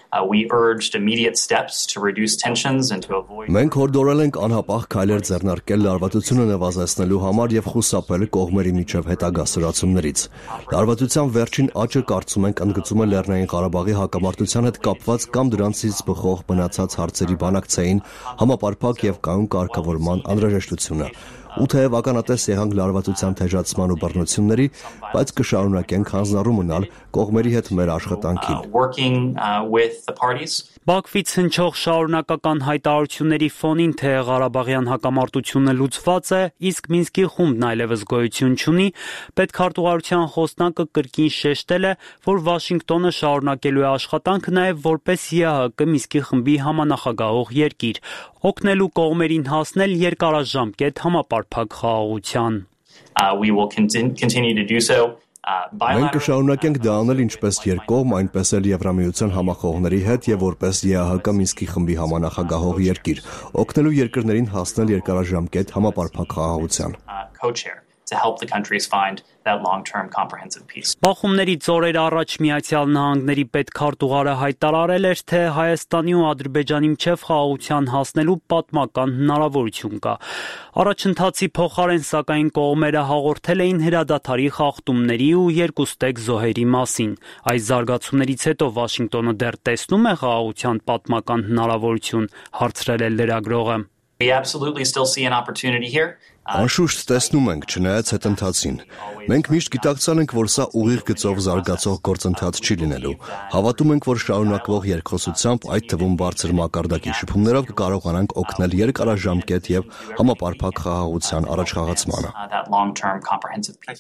Մենք հորդորել ենք անհապաղ քայլեր ձեռնարկել լարվածությունը նվազեցնելու համար եւ խուսափել կողմերի միջև հետագա սրացումներից։ Լարվածության վերջին աճը կարծում ենք ընդգծում է Լեռնային Ղարաբաղի հակամարտության հետ կապված կամ դրանցից բխող մնացած հարցերի բանակցային համապարփակ եւ կայուն կարգավորման անհրաժեշտությունը։ Ու թեև ականատես եղանք լարվածության թեժացման ու բռնությունների, բայց կշարունակենք հանձնառու մնալ կողմերի հետ մեր աշխատանքին։ Բաքվից հնչող շարունակական հայտարարությունների ֆոնին, թե Ղարաբաղյան հակամարտությունը լուծված է, իսկ Մինսկի խումբն այլևս գոյություն չունի, պետքարտուղարության խոսնակը կրկին շեշտել է, որ Վաշինգտոնը շարունակելու է աշխատանքը նաև որպես ԵԱՀԿ Մինսկի խմբի համանախագահող երկիր, օգնելու կողմերին հասնել երկարաժամկետ համապարփակ խաղաղության։ Մենք կշարունակենք դա անել ինչպես երկկողմ, այնպես էլ Եվրամիության համախոհների հետ եւ որպես ԵԱՀԿ Մինսկի խմբի համանախագահող երկիր, օգնելու երկրներին հասնել երկարաժամկետ համապարփակ խաղաղության։ To help the countries find that long-term comprehensive peace. Բախումներից օրեր առաջ Միացյալ Նահանգների պետքարտուղարը հայտարարել էր, թե Հայաստանի ու Ադրբեջանի միջև խաղաղության հասնելու պատմական հնարավորություն կա։ Առաջընթացի փոխարեն սակայն կողմերը հաղորդել էին հրադադարի խախտումների ու երկուստեք զոհերի մասին։ Այս զարգացումներից հետո Վաշինգտոնը դեռ տեսնում է խաղաղության պատմական հնարավորություն, հարցրել է լրագրողը։ We absolutely still see an opportunity here. Անշուշտ տեսնում ենք, չնայած հետընթացին։ Մենք միշտ գիտակցել ենք, որ սա ուղիղ գծով զարգացող գործընթաց չի լինելու։ Հավատում ենք, որ շարունակվող երկխոսությամբ, այդ թվում բարձր մակարդակի շփումներով կկարողանանք օգնել երկարաժամկետ եւ համապարփակ խաղաղության առաջխաղացմանը։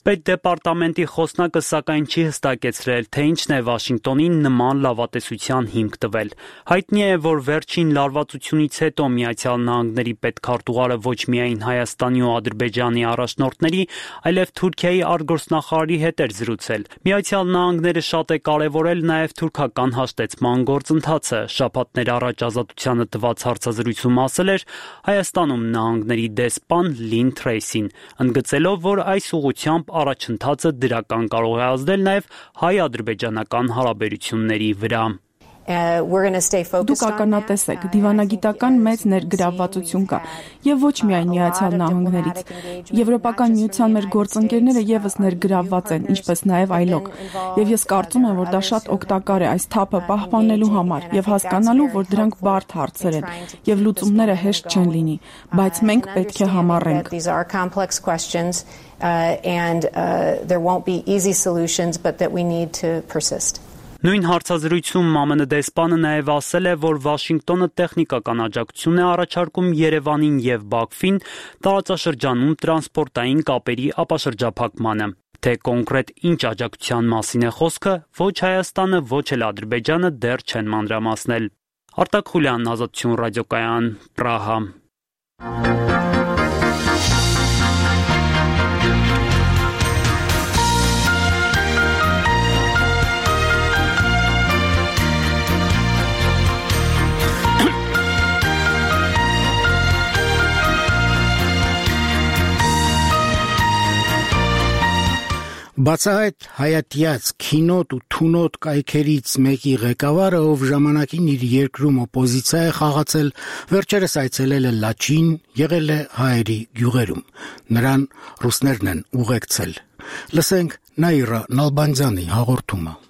Պետդեպարտամենտի խոսնակը սակայն չի հստակեցրել, թե ինչն է Վաշինգտոնին նման լավատեսության հիմք տվել։ Հայտնի է, որ վերջին լարվածությունից հետո Միացյալ Նահանգների պետքարտուղարը ոչ միայն Հայաստանի ու Ադրբեջանի առաջնորդների, այլև Թուրքիայի արտգործնախարարի հետ էր զրուցել։ Միացյալ Նահանգները շատ է կարևորել նաև թուրքական հաշտեցման գործընթացը։ Շաբաթներ առաջ Ազատությանը տված հարցազրույցում ասել էր Հայաստանում նահանգների դեսպան Լին Թրեյսին, ընդգծելով, որ այս ուղղությամբ առաջընթացը դրական կարող է ազդել նաև հայ-ադրբեջանական հարաբերությունների վրա։ Դուք ականատես եք, դիվանագիտական մեծ ներգրավվածություն կա եւ ոչ միայն Միացյալ Նահանգներից։ Եվրոպական միության մեր գործընկերները եւս ներգրավված են, ինչպես նաեւ այլոք։ Եվ ես կարծում եմ, որ դա շատ օգտակար է այս թափը պահպանելու համար եւ հասկանալու, որ դրանք բարդ հարցեր են եւ լուծումները հեշտ չեն լինի, բայց մենք պետք է համառենք։ And uh, there won't be easy solutions, but that we need to persist. Նույն հարցազրույցում ՄԱՄՆ դեսպանը նաև ասել է, որ Վաշինգտոնը տեխնիկական աջակցություն է առաջարկում Երևանին եւ Բաքվին տարածաշրջանում տրանսպորտային կապերի ապաշրջափակմանը։ Թե կոնկրետ ինչ աջակցության մասին է խոսքը, ոչ Հայաստանը, ոչ էլ Ադրբեջանը դեռ չեն մանրամասնել։ Արտակ Խուլյան, Ազատություն ռադիոկայան, Պրահա։ Բացահայտ հայատյաց քինոտ ու թունոտ կայքերից մեկի ղեկավարը, ով ժամանակին իր երկրում օպոզիցիա է խաղացել, վերջերս այցելել է Լաչին, եղել է հայերի գյուղերում։ Նրան ռուսներն են ուղեկցել։ Լսենք Նաիրա Նալբանդյանի հաղորդումը։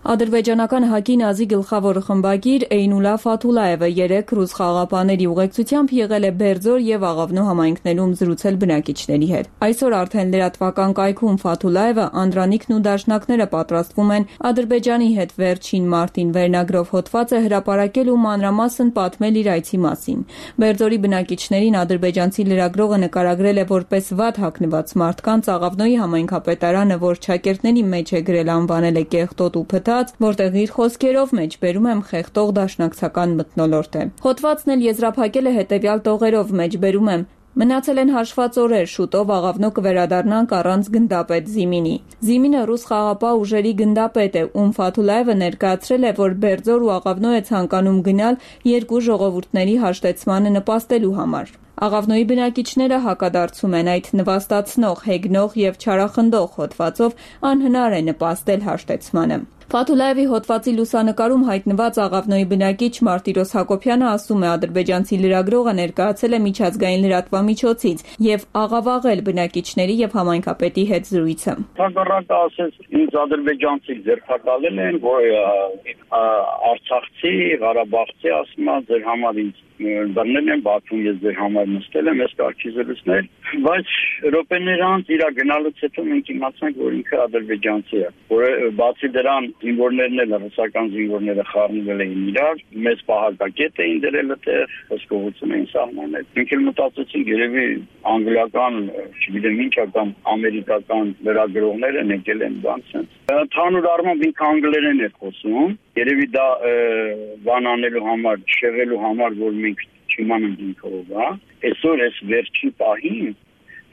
Ադրբեջանական ՀԱԿ-ի Նազի գլխավոր խմբագիր Էյնուլա Ֆաթուլաևը երեք ռուս խաղաղապահների ուղեկցությամբ եղել է Բերձոր եւ Աղավնո համայնքներում զրուցել բնակիչների հետ։ Այսօր արդեն լրատվական կայքում Ֆաթուլաևը, Անդրանիկն ու դաշնակները պատրաստվում են Ադրբեջանի հետ վերջին մարտին վերնագրով հոդված է հրապարակել ու մանրամասն պատմել իր այցի մասին։ Բերձորի բնակիչներին ադրբեջանցի լրագրողը նկարագրել է որպես վատ հագնված մարդկանց, Աղավնոյի համայնքապետարանը, որ ճակերտների մեջ է գրել, անվանել է կեղտոտ ու փթ, որտեղ իր խոսքերով մեջ բերում եմ խեղտող դաշնակցական մթնոլորտ է։ Հոդվածն էլ եզրափակել է հետևյալ տողերով, մեջ բերում եմ. Մնացել են հաշված օրեր, շուտով Աղավնո կվերադառնանք առանց գնդապետ Զիմինի։ Զիմինը ռուս խաղաղապահ ուժերի գնդապետ է, ում Ֆաթուլաևը ներկայացրել է, որ Բերձոր ու Աղավնո է ցանկանում գնալ երկու ժողովուրդների հաշտեցմանը նպաստելու համար։ Աղավնոյի բնակիչները հակադարձում են այդ նվաստացնող, հեգնող եւ չարախնդող հոդվածով անհնար է նպաստել հաշտեցմանը։ Ֆաթուլաևի հոդվածի լուսանկարում հայտնված Աղավնոյի բնակիչ Մարտիրոս Հակոբյանը ասում է, ադրբեջանցի լրագրողը ներկայացել է միջազգային լրատվամիջոցից եւ աղավաղել բնակիչների եւ համայնքապետի հետ զրույցը։ Հակառակը ասես, ինձ ադրբեջանցի ձերբակալել են, որ արցախցի, ղարաբաղցի ասում է, ձեր համար ինձ բռնել են, Բաքվում ես ձեր համար նստել եմ, ես կարգի զրույցներ, բայց րոպեներ անց իր գնալուց հետո մենք իմացանք, որ ինքը ադրբեջանցի է, որը բացի դրան զինվորներն էլ ռուսական զինվորները խառնվել էին իրար, մեծ պահակակետ էին դրել այդտեղ, հսկողություն էին սահմանել։ Մենք էլ մտածեցինք, երևի անգլիական, չգիտեմ ինչ կամ ամերիկական լրագրողներ են եկել են բանց են։ Ընդհանուր առմամբ ինքը անգլերեն է խոսում, երևի դա բան անելու համար, շեղելու համար, որ մենք չիմանանք ինքը ով է։ Այսօր այս վերջի պահին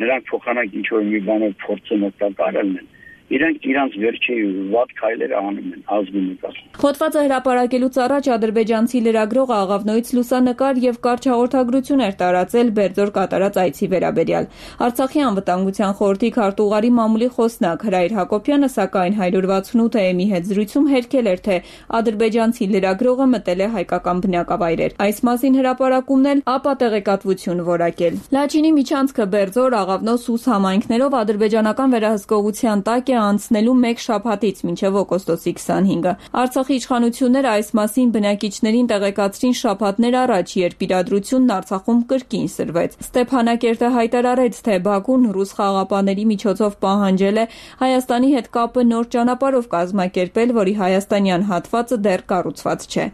նրանք փոխանակ ինչ որ մի բանով փորձեն օգտակարել են։ Իրանք իրանց վերջի վատ քայլերը անում են ազգի նկատմամբ։ Հոդվածը հրապարակելուց առաջ ադրբեջանցի լրագրողը Աղավնոյից լուսանկար եւ կարճ հաղորդագրություն էր տարածել Բերձոր կատարած այցի վերաբերյալ։ Արցախի անվտանգության խորհրդի քարտուղարի մամուլի խոսնակ Հրայր Հակոբյանը, սակայն one sixty-eight A M-ի հետ զրույցում հերքել էր, թե ադրբեջանցի լրագրողը մտել է հայկական բնակավայրեր։ Այս մասին հրապարակումն էլ ապա տեղեկատվություն որակել։ Լաչինի միջանցքը Բերձոր, Աղավնո, Սուս համայնքներով ադրբեջանական վերահսկողության տակ է անցնելու մեկ շաբաթից մինչև օգոստոսի twenty-fifth-ը։ Արցախի իշխանությունները այս մասին բնակիչներին տեղեկացրին շաբաթներ առաջ, երբ իրադրությունն Արցախում կրկին սրվեց։ Ստեփանակերտը հայտարարեց, թե Բաքուն ռուս խաղաղապահների միջոցով պահանջել է Հայաստանի հետ կապը նոր ճանապարհով կազմակերպել, որի հայաստանյան հատվածը դեռ կառուցված չէ։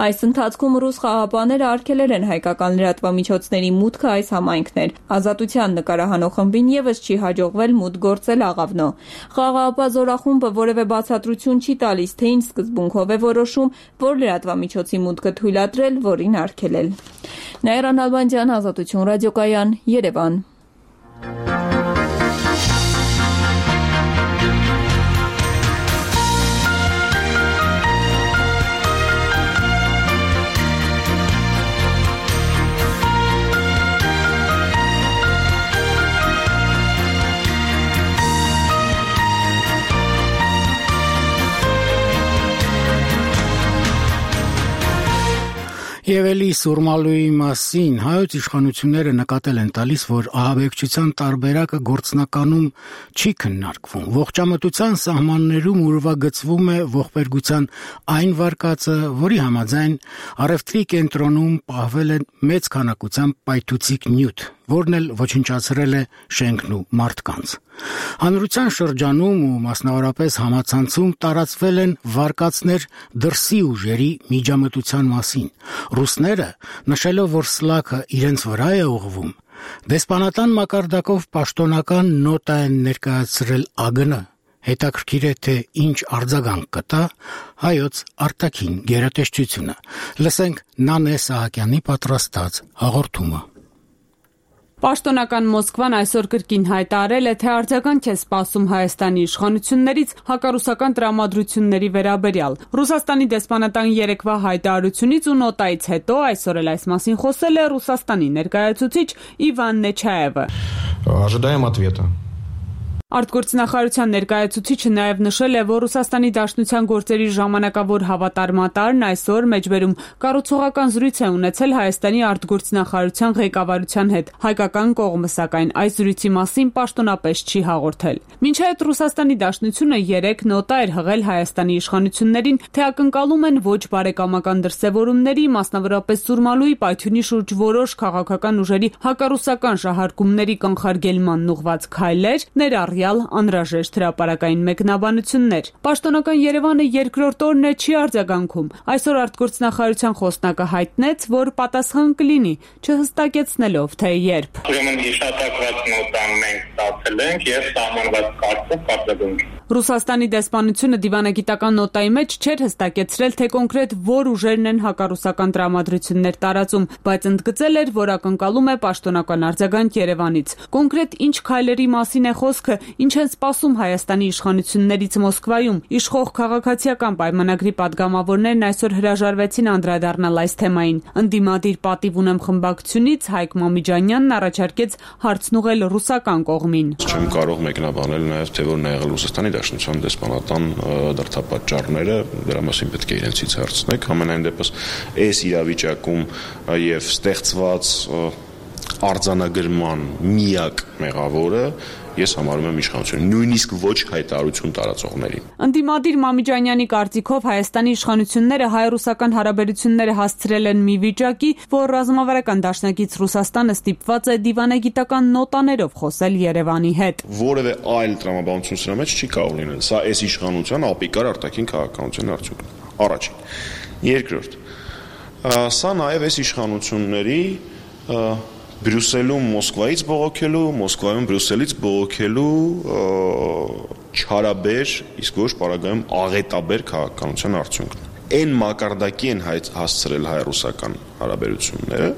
Այս ընթացքում ռուս խաղաղապահները արգելել են հայկական լրատվամիջոցների մուտքը այս համայնքներ։ Ազատության նկարահանող խմբին եւս չի հաջողվել մուտք գործել Աղավնո։ Խաղաղապահ զորախումբը որևէ բացատրություն չի տալիս, թե ինչ սկզբունքով է որոշում, որ լրատվամիջոցի մուտքը թույլատրել, որին արգելել։ Նաիրա Նալբանդյան, Ազատություն ռադիոկայան, Երևան։ Եվ էլի Սուրմալուի մասին հայոց իշխանությունները նկատել են տալիս, որ ահաբեկչության տարբերակը գործնականում չի քննարկվում։ Ողջամտության սահմաններում ուրվագծվում է ողբերգության այն վարկածը, որի համաձայն առևտրի կենտրոնում պահվել է մեծ քանակությամբ պայթուցիկ նյութ։ որն էլ ոչնչացրել է շենքն ու մարդկանց։ Հանրության շրջանում ու մասնավորապես համացանցում տարածվել են վարկածներ դրսի ուժերի միջամտության մասին։ Ռուսները, նշելով, որ սլաքը իրենց վրա է ուղղվում, դեսպանատան մակարդակով պաշտոնական նոտա են ներկայացրել ԱԳՆ։ Հետաքրքիր է, թե ինչ արձագանք կտա հայոց արտաքին գերատեսչությունը։ Լսենք Նանե Սահակյանի պատրաստած հաղորդումը։ Պաշտոնական Մոսկվան այսօր կրկին հայտարարել է, թե արձագանք է սպասում Հայաստանի իշխանություններից հակառուսական տրամադրությունների վերաբերյալ։ Ռուսաստանի դեսպանատան երեկվա հայտարարությունից ու նոտայից հետո այսօր էլ այս մասին խոսել է Ռուսաստանի ներկայացուցիչ Իվան Նեչաևը։ Ожидаем ответа. Արտգործնախարարության ներկայացուցիչը նաև նշել է, որ Ռուսաստանի Դաշնության գործերի ժամանակավոր հավատարմատարն այսօր մեջբերում կառուցողական զրույց է ունեցել Հայաստանի արտգործնախարարության ղեկավարության հետ։ Հայկական կողմը սակայն այս զրույցի մասին պաշտոնապես չի հաղորդել։ Մինչ այդ Ռուսաստանի Դաշնությունը երեկ նոտա էր հղել Հայաստանի իշխանություններին, թե ակնկալում են ոչ բարեկամական դրսևորումների, մասնավորապես Սուրմալուի պայթյունի շուրջ որոշ քաղաքական ուժերի հակառուսական շահարկումների կանխարգելման ուղղված քայլեր, ներառյալ անհրաժեշտ հրապարակային մեկնաբանություններ։ Պաշտոնական Երևանը երկրորդ օրն է չի արձագանքում։ Այսօր արտգործնախարարության խոսնակը հայտնեց, որ պատասխան կլինի, չհստակեցնելով թե երբ։ Ուրեմն հիշատակված նոտան մենք ստացել ենք եւ սահմանված կարգով կարգադրենք։ Ռուսաստանի դեսպանությունը դիվանագիտական նոտայի մեջ չէր հստակեցրել, թե կոնկրետ որ ուժերն են հակառուսական տրամադրություններ տարածում, բայց ընդգծել էր, որ ակնկալում է պաշտոնական արձագանք Երևանից։ Կոնկրետ ինչ քայլերի մասին է խոսքը, ինչ են սպասում Հայաստանի իշխանություններից Մոսկվայում։ Իշխող քաղաքացիական պայմանագրի падգամավորներն այսօր հրաժարվեցին անդրադառնալ այս թեմային։ Ընդդիմադիր պատիվ ունեմ խմբակցությունից Հայկ Մամիջանյանն առաջարկեց հարցն ուղղել ռուսական կողմին։ Չեմ կարող մեկնաբանել նաև թե որն է եղել Ռուսաստանի Դաշնության դեսպանատան դրդապատճառները, դրա մասին պետք է իրենցից հարցնեք։ Համենայն դեպս այս իրավիճակում եւ ստեղծված արձանագրման միակ մեղավորը ես համարում եմ իշխանությունը, նույնիսկ ոչ հայտարարություն տարածողներին։ Ընդդիմադիր Մամիջանյանի կարծիքով Հայաստանի իշխանությունները հայ-ռուսական հարաբերությունները հասցրել են մի վիճակի, որ ռազմավարական դաշնակից Ռուսաստանը ստիպված է դիվանագիտական նոտաներով խոսել Երևանի հետ։ Որևէ այլ տրամաբանություն սրա մեջ չի կարող լինել։ Սա այս իշխանության ապիկար արտաքին քաղաքականության արդյունքն է։ Առաջին։ Երկրորդ։ Սա նաև այս իշխանությունների Բրյուսելում Մոսկվայից բողոքելու, Մոսկվայում Բրյուսելից բողոքելու չարաբեր, իսկ ոչ պարագայում աղետաբեր քաղաքականության արդյունքն է։ Այն մակարդակի են հասցրել հայ-ռուսական հարաբերությունները,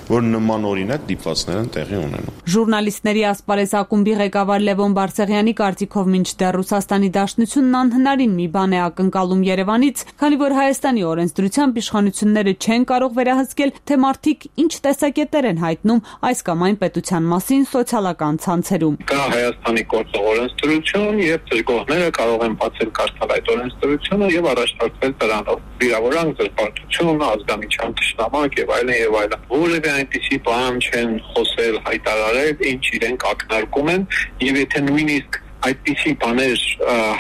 որ նման օրինակ դիպվածներ են տեղի ունենում։ Ժուրնալիստների ասպարեզ ակումբի ղեկավար Լևոն Բարսեղյանի կարծիքով մինչդեռ Ռուսաստանի Դաշնությունն անհնարին մի բան է ակնկալում Երևանից, քանի որ Հայաստանի օրենսդրությամբ իշխանությունները չեն կարող վերահսկել, թե մարդիկ ինչ տեսակետեր են հայտնում այս կամ այն պետության մասին սոցիալական ցանցերում։ Կա Հայաստանի գործող օրենսդրություն, եւ ծրկողները կարող են բացել կարդալ այդ օրենսդրությունը եւ առաջարկվել դրանով վիրավորանք, զրպարտություն, ազգամիջյան թշնամանք եւ այլն եւ այլն։ Որևէ այնպիսի բան չեն խոսել, հայտարարել, ինչ իրենք ակնարկում են, եւ եթե նույնիսկ այդպիսի բաներ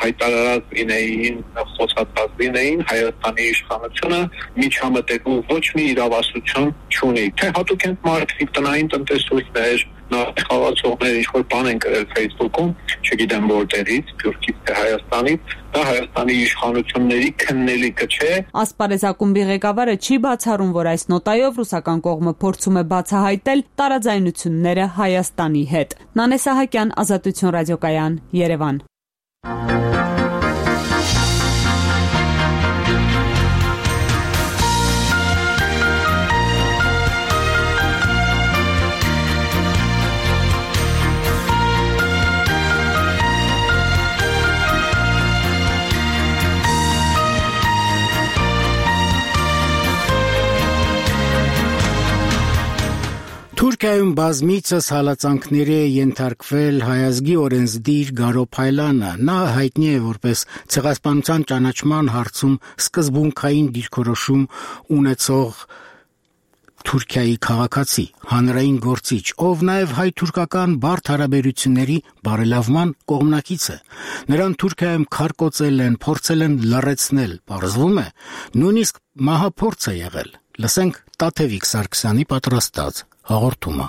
հայտարարած լինեին, խոսածած լինեին, Հայաստանի իշխանությունը միջամտելու ոչ մի իրավասություն չունի։ Թե հատուկ են մարդիկ տնային տնտեսություններ, խաղացողներ ինչ-որ բան են գրել Facebook-ում, չգիտեմ որտեղից, Թուրքից թե Հայաստանից, դա Հայաստանի իշխանությունների քննելիքը չէ։ Ասպարեզ ակումբի ղեկավարը չի բացառում, որ այս նոտայով ռուսական կողմը փորձում է բացահայտել տարաձայնությունները Հայաստանի հետ։ Նանե Սահակյան, Ազատություն ռադիոկայան, Երևան։ Թուրքիայում բազմիցս հալածանքների է ենթարկվել հայազգի օրենսդիր Գարո Փայլանը։ Նա հայտնի է որպես ցեղասպանության ճանաչման հարցում սկզբունքային դիրքորոշում ունեցող Թուրքիայի քաղաքացի, հանրային գործիչ, ով նաև հայ-թուրքական բարդ հարաբերությունների բարելավման կողմնակից է։ Նրան Թուրքիայում քարկոծել են, փորձել են լռեցնել, պարզվում է, նույնիսկ մահափորձ է եղել։ Լսենք Տաթևիկ Սարգսյանի պատրաստած հաղորդումը։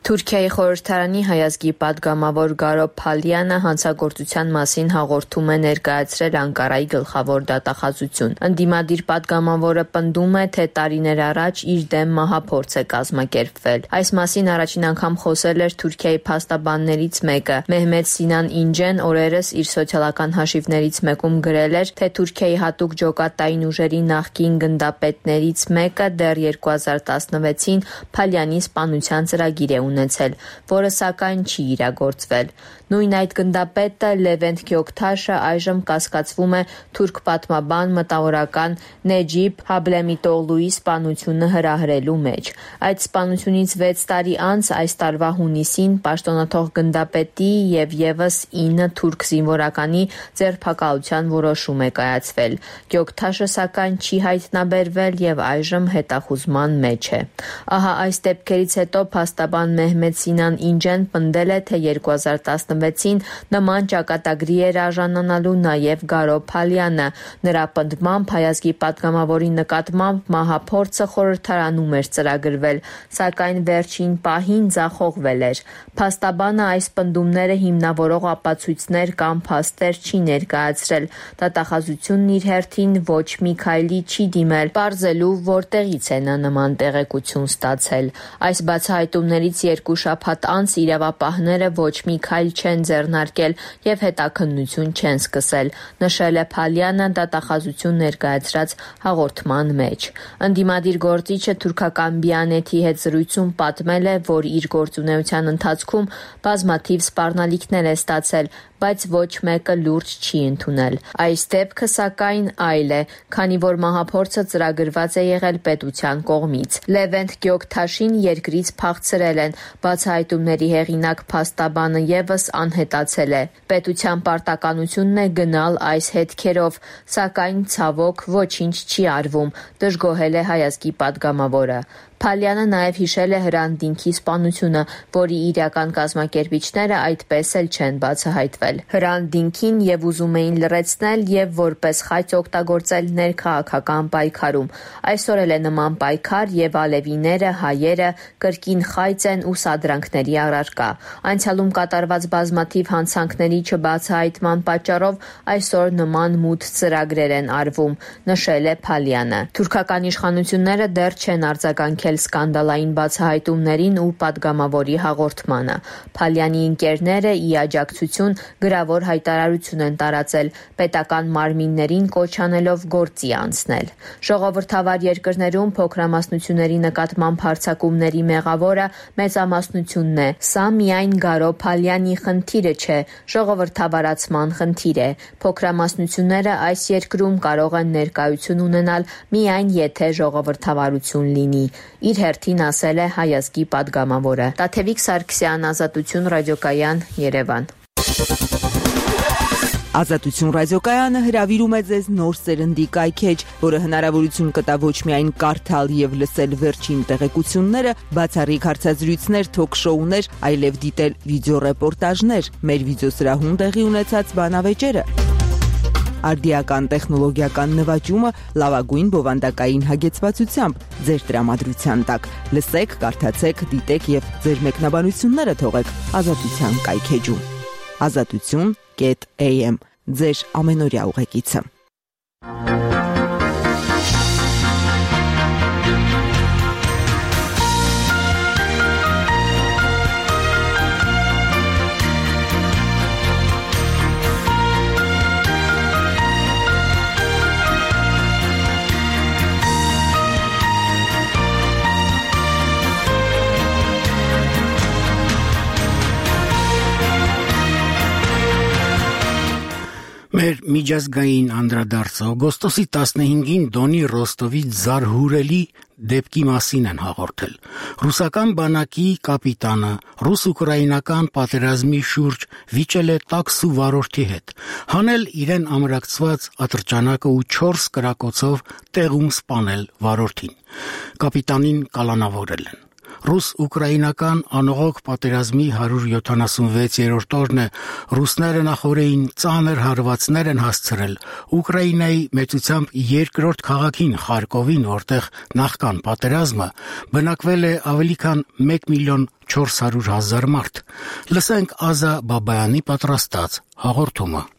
Թուրքիայի խորհրդարանի հայազգի պատգամավոր Գարո Փալյանը հանցագործության մասին հաղորդում է ներկայացրել Անկարայի գլխավոր դատախազություն։ Ընդդիմադիր պատգամավորը պնդում է, թե տարիներ առաջ իր դեմ մահափորձ է կազմակերպվել։ Այս մասին առաջին անգամ խոսել էր Թուրքիայի փաստաբաններից մեկը։ Մեհմեդ Սինան Ինջեն օրերս իր սոցիալական հաշիվներից մեկում գրել էր, թե Թուրքիայի հատուկ ջոկատային ուժերի նախկին գնդապետներից մեկը դեռ երկու հազար տասնվեցին Փալյանի սպանության ծրագիր է ունեցել, որը սակայն չի իրագործվել։ Նույն այդ գնդապետը Լևենտ Գյոքթաշը այժմ կասկածվում է թուրք պատմաբան մտավորական Նեջիբ Հաբլեմիտօղլուի սպանությունը հրահրելու մեջ։ Այդ սպանությունից վեց տարի անց այս տարվա հունիսին պաշտոնաթող գնդապետի եւ եւս ինը թուրք զինվորականի ձերբակալության որոշում է կայացվել։ Գյոքթաշը սակայն չի հայտնաբերվել եւ այժմ հետախուզման մեջ է։ Ահա այս դեպքերից հետո փաստաբան Մեհմեդ Սինան Ինջեն պնդել է, թե երկու հազար տասնվեցին նման ճակատագրի էր արժանանալու նաև Գարո Փալյանը։ Նրա պնդմամբ հայազգի պատգամավորի նկատմամբ մահափորձը խորհրդարանում էր ծրագրվել, սակայն վերջին պահին ձախողվել էր։ Փաստաբանը այս պնդումները հիմնավորող ապացույցներ կամ փաստեր չի ներկայացրել։ Դատախազությունն իր հերթին ոչ մի քայլի չի դիմել, պարզելու որտեղից է նա նման տեղեկություն ստացել։ Այս բացահայտումներից երկու շաբաթ անց իրավապահները ոչ մի քայլ չեն ձեռնարկել եւ հետաքննություն չեն սկսել, նշել է Փալյանը դատախազություն ներկայացրած հաղորդման մեջ։ Ընդդիմադիր գործիչը թուրքական Բիանեթի հետ զրույցում պատմել է, որ իր գործունեության ընթացքում բազմաթիվ սպառնալիքներ է ստացել, բայց ոչ մեկը լուրջ չի ընդունել։ Այս դեպքը սակայն այլ է, քանի որ մահափորձը ծրագրված է եղել պետության կողմից։ Լևենտ Գյոքթաշին երկրից փախցրել են, բացահայտումների հեղինակ փաստաբանը եւս անհետացել է։ Պետության պարտականությունն է գնալ այս հետքերով, սակայն ցավոք ոչինչ չի արվում, դժգոհել է հայազգի պատգամավորը։ Փալյանը նաև հիշել է Հրանտ սպանությունը, որի իրական կազմակերպիչները այդպես էլ չեն բացահայտվել։ Հրանտ Դինքին եւ ուզում էին լրացնել եւ որպես խայծ օգտագործել ներքաղաքական պայքարում։ Այսօր էլ է նման պայքար եւ ալևիները, հայերը կրկին խայծ են ու սադրանքների առարկա։ Անցյալում կատարված բազմաթիվ հանցանքների չբացահայտման պատճառով այսօր նման մութ ծրագրեր են արվում, նշել է Փալյանը։ Թուրքական իշխանությունները դեռ չեն արձագանքել սկանդալային բացահայտումներին ու պատգամավորի հաղորդմանը։ Փալյանի ընկերները ի աջակցություն գրավոր հայտարարություն են տարածել, պետական մարմիններին կոչ անելով գործի անցնել։ Ժողովրդավար երկրներում փոքրամասնությունների նկատմամբ հարձակումների մեղավորը մեծամասնությունն է։ Սա միայն Գարո Փալյանի խնդիրը չէ, ժողովրդավարացման խնդիր է։ Փոքրամասնությունները այս երկրում կարող են ներկայություն ունենալ միայն եթե ժողովրդավարություն լինի, իր հերթին ասել է հայազգի պատգամավորը։ Տաթևիկ Սարգսյան, Ազատություն ռադիոկայան, Երևան։ Ազատություն ռադիոկայանը հրավիրում է ձեզ նոր սերնդի կայքեջ, որը հնարավորություն կտա ոչ միայն կարդալ եւ լսել վերջին տեղեկությունները, բացառիկ հարցազրույցներ, թոք-շոուներ, այլև դիտել վիդեոռեպորտաժներ, մեր վիդեոսրահում տեղի ունեցած բանավեճերը։ Արդիական տեխնոլոգիական նվաճումը լավագույն բովանդակային հագեցվածությամբ ձեր տրամադրության տակ։ Լսեք, կարդացեք, դիտեք եւ ձեր մեկնաբանությունները թողեք Ազատության կայքեջում։ Ազատություն կետ էյ էմ ձեր ամենօրյա ուղեկիցը։ Մեր միջազգային անդրադարձը օգոստոսի տասնհինգին Դոնի Ռոստովի զարհուրելի դեպքի մասին են հաղորդել։ Ռուսական բանակի կապիտանը ռուս-ուկրաինական պատերազմի շուրջ վիճել է տաքսու վարորդի հետ, հանել իրեն ամրակցված ատրճանակը ու չորս կրակոցով տեղում սպանել վարորդին։ Կապիտանին կալանավորել են։ Ռուս-ուկրաինական անողոք պատերազմի հարյուր յոթանասունվեցերորդ օրն է, ռուսները նախորդին ծանր հարվածներ են հասցրել Ուկրաինայի մեծությամբ երկրորդ քաղաքին Խարկովին, որտեղ նախքան պատերազմը բնակվել է ավելի քան մեկ միլիոն չորս հարյուր հազար մարդ։ Լսենք Ազա Բաբայանի պատրաստած հաղորդումը։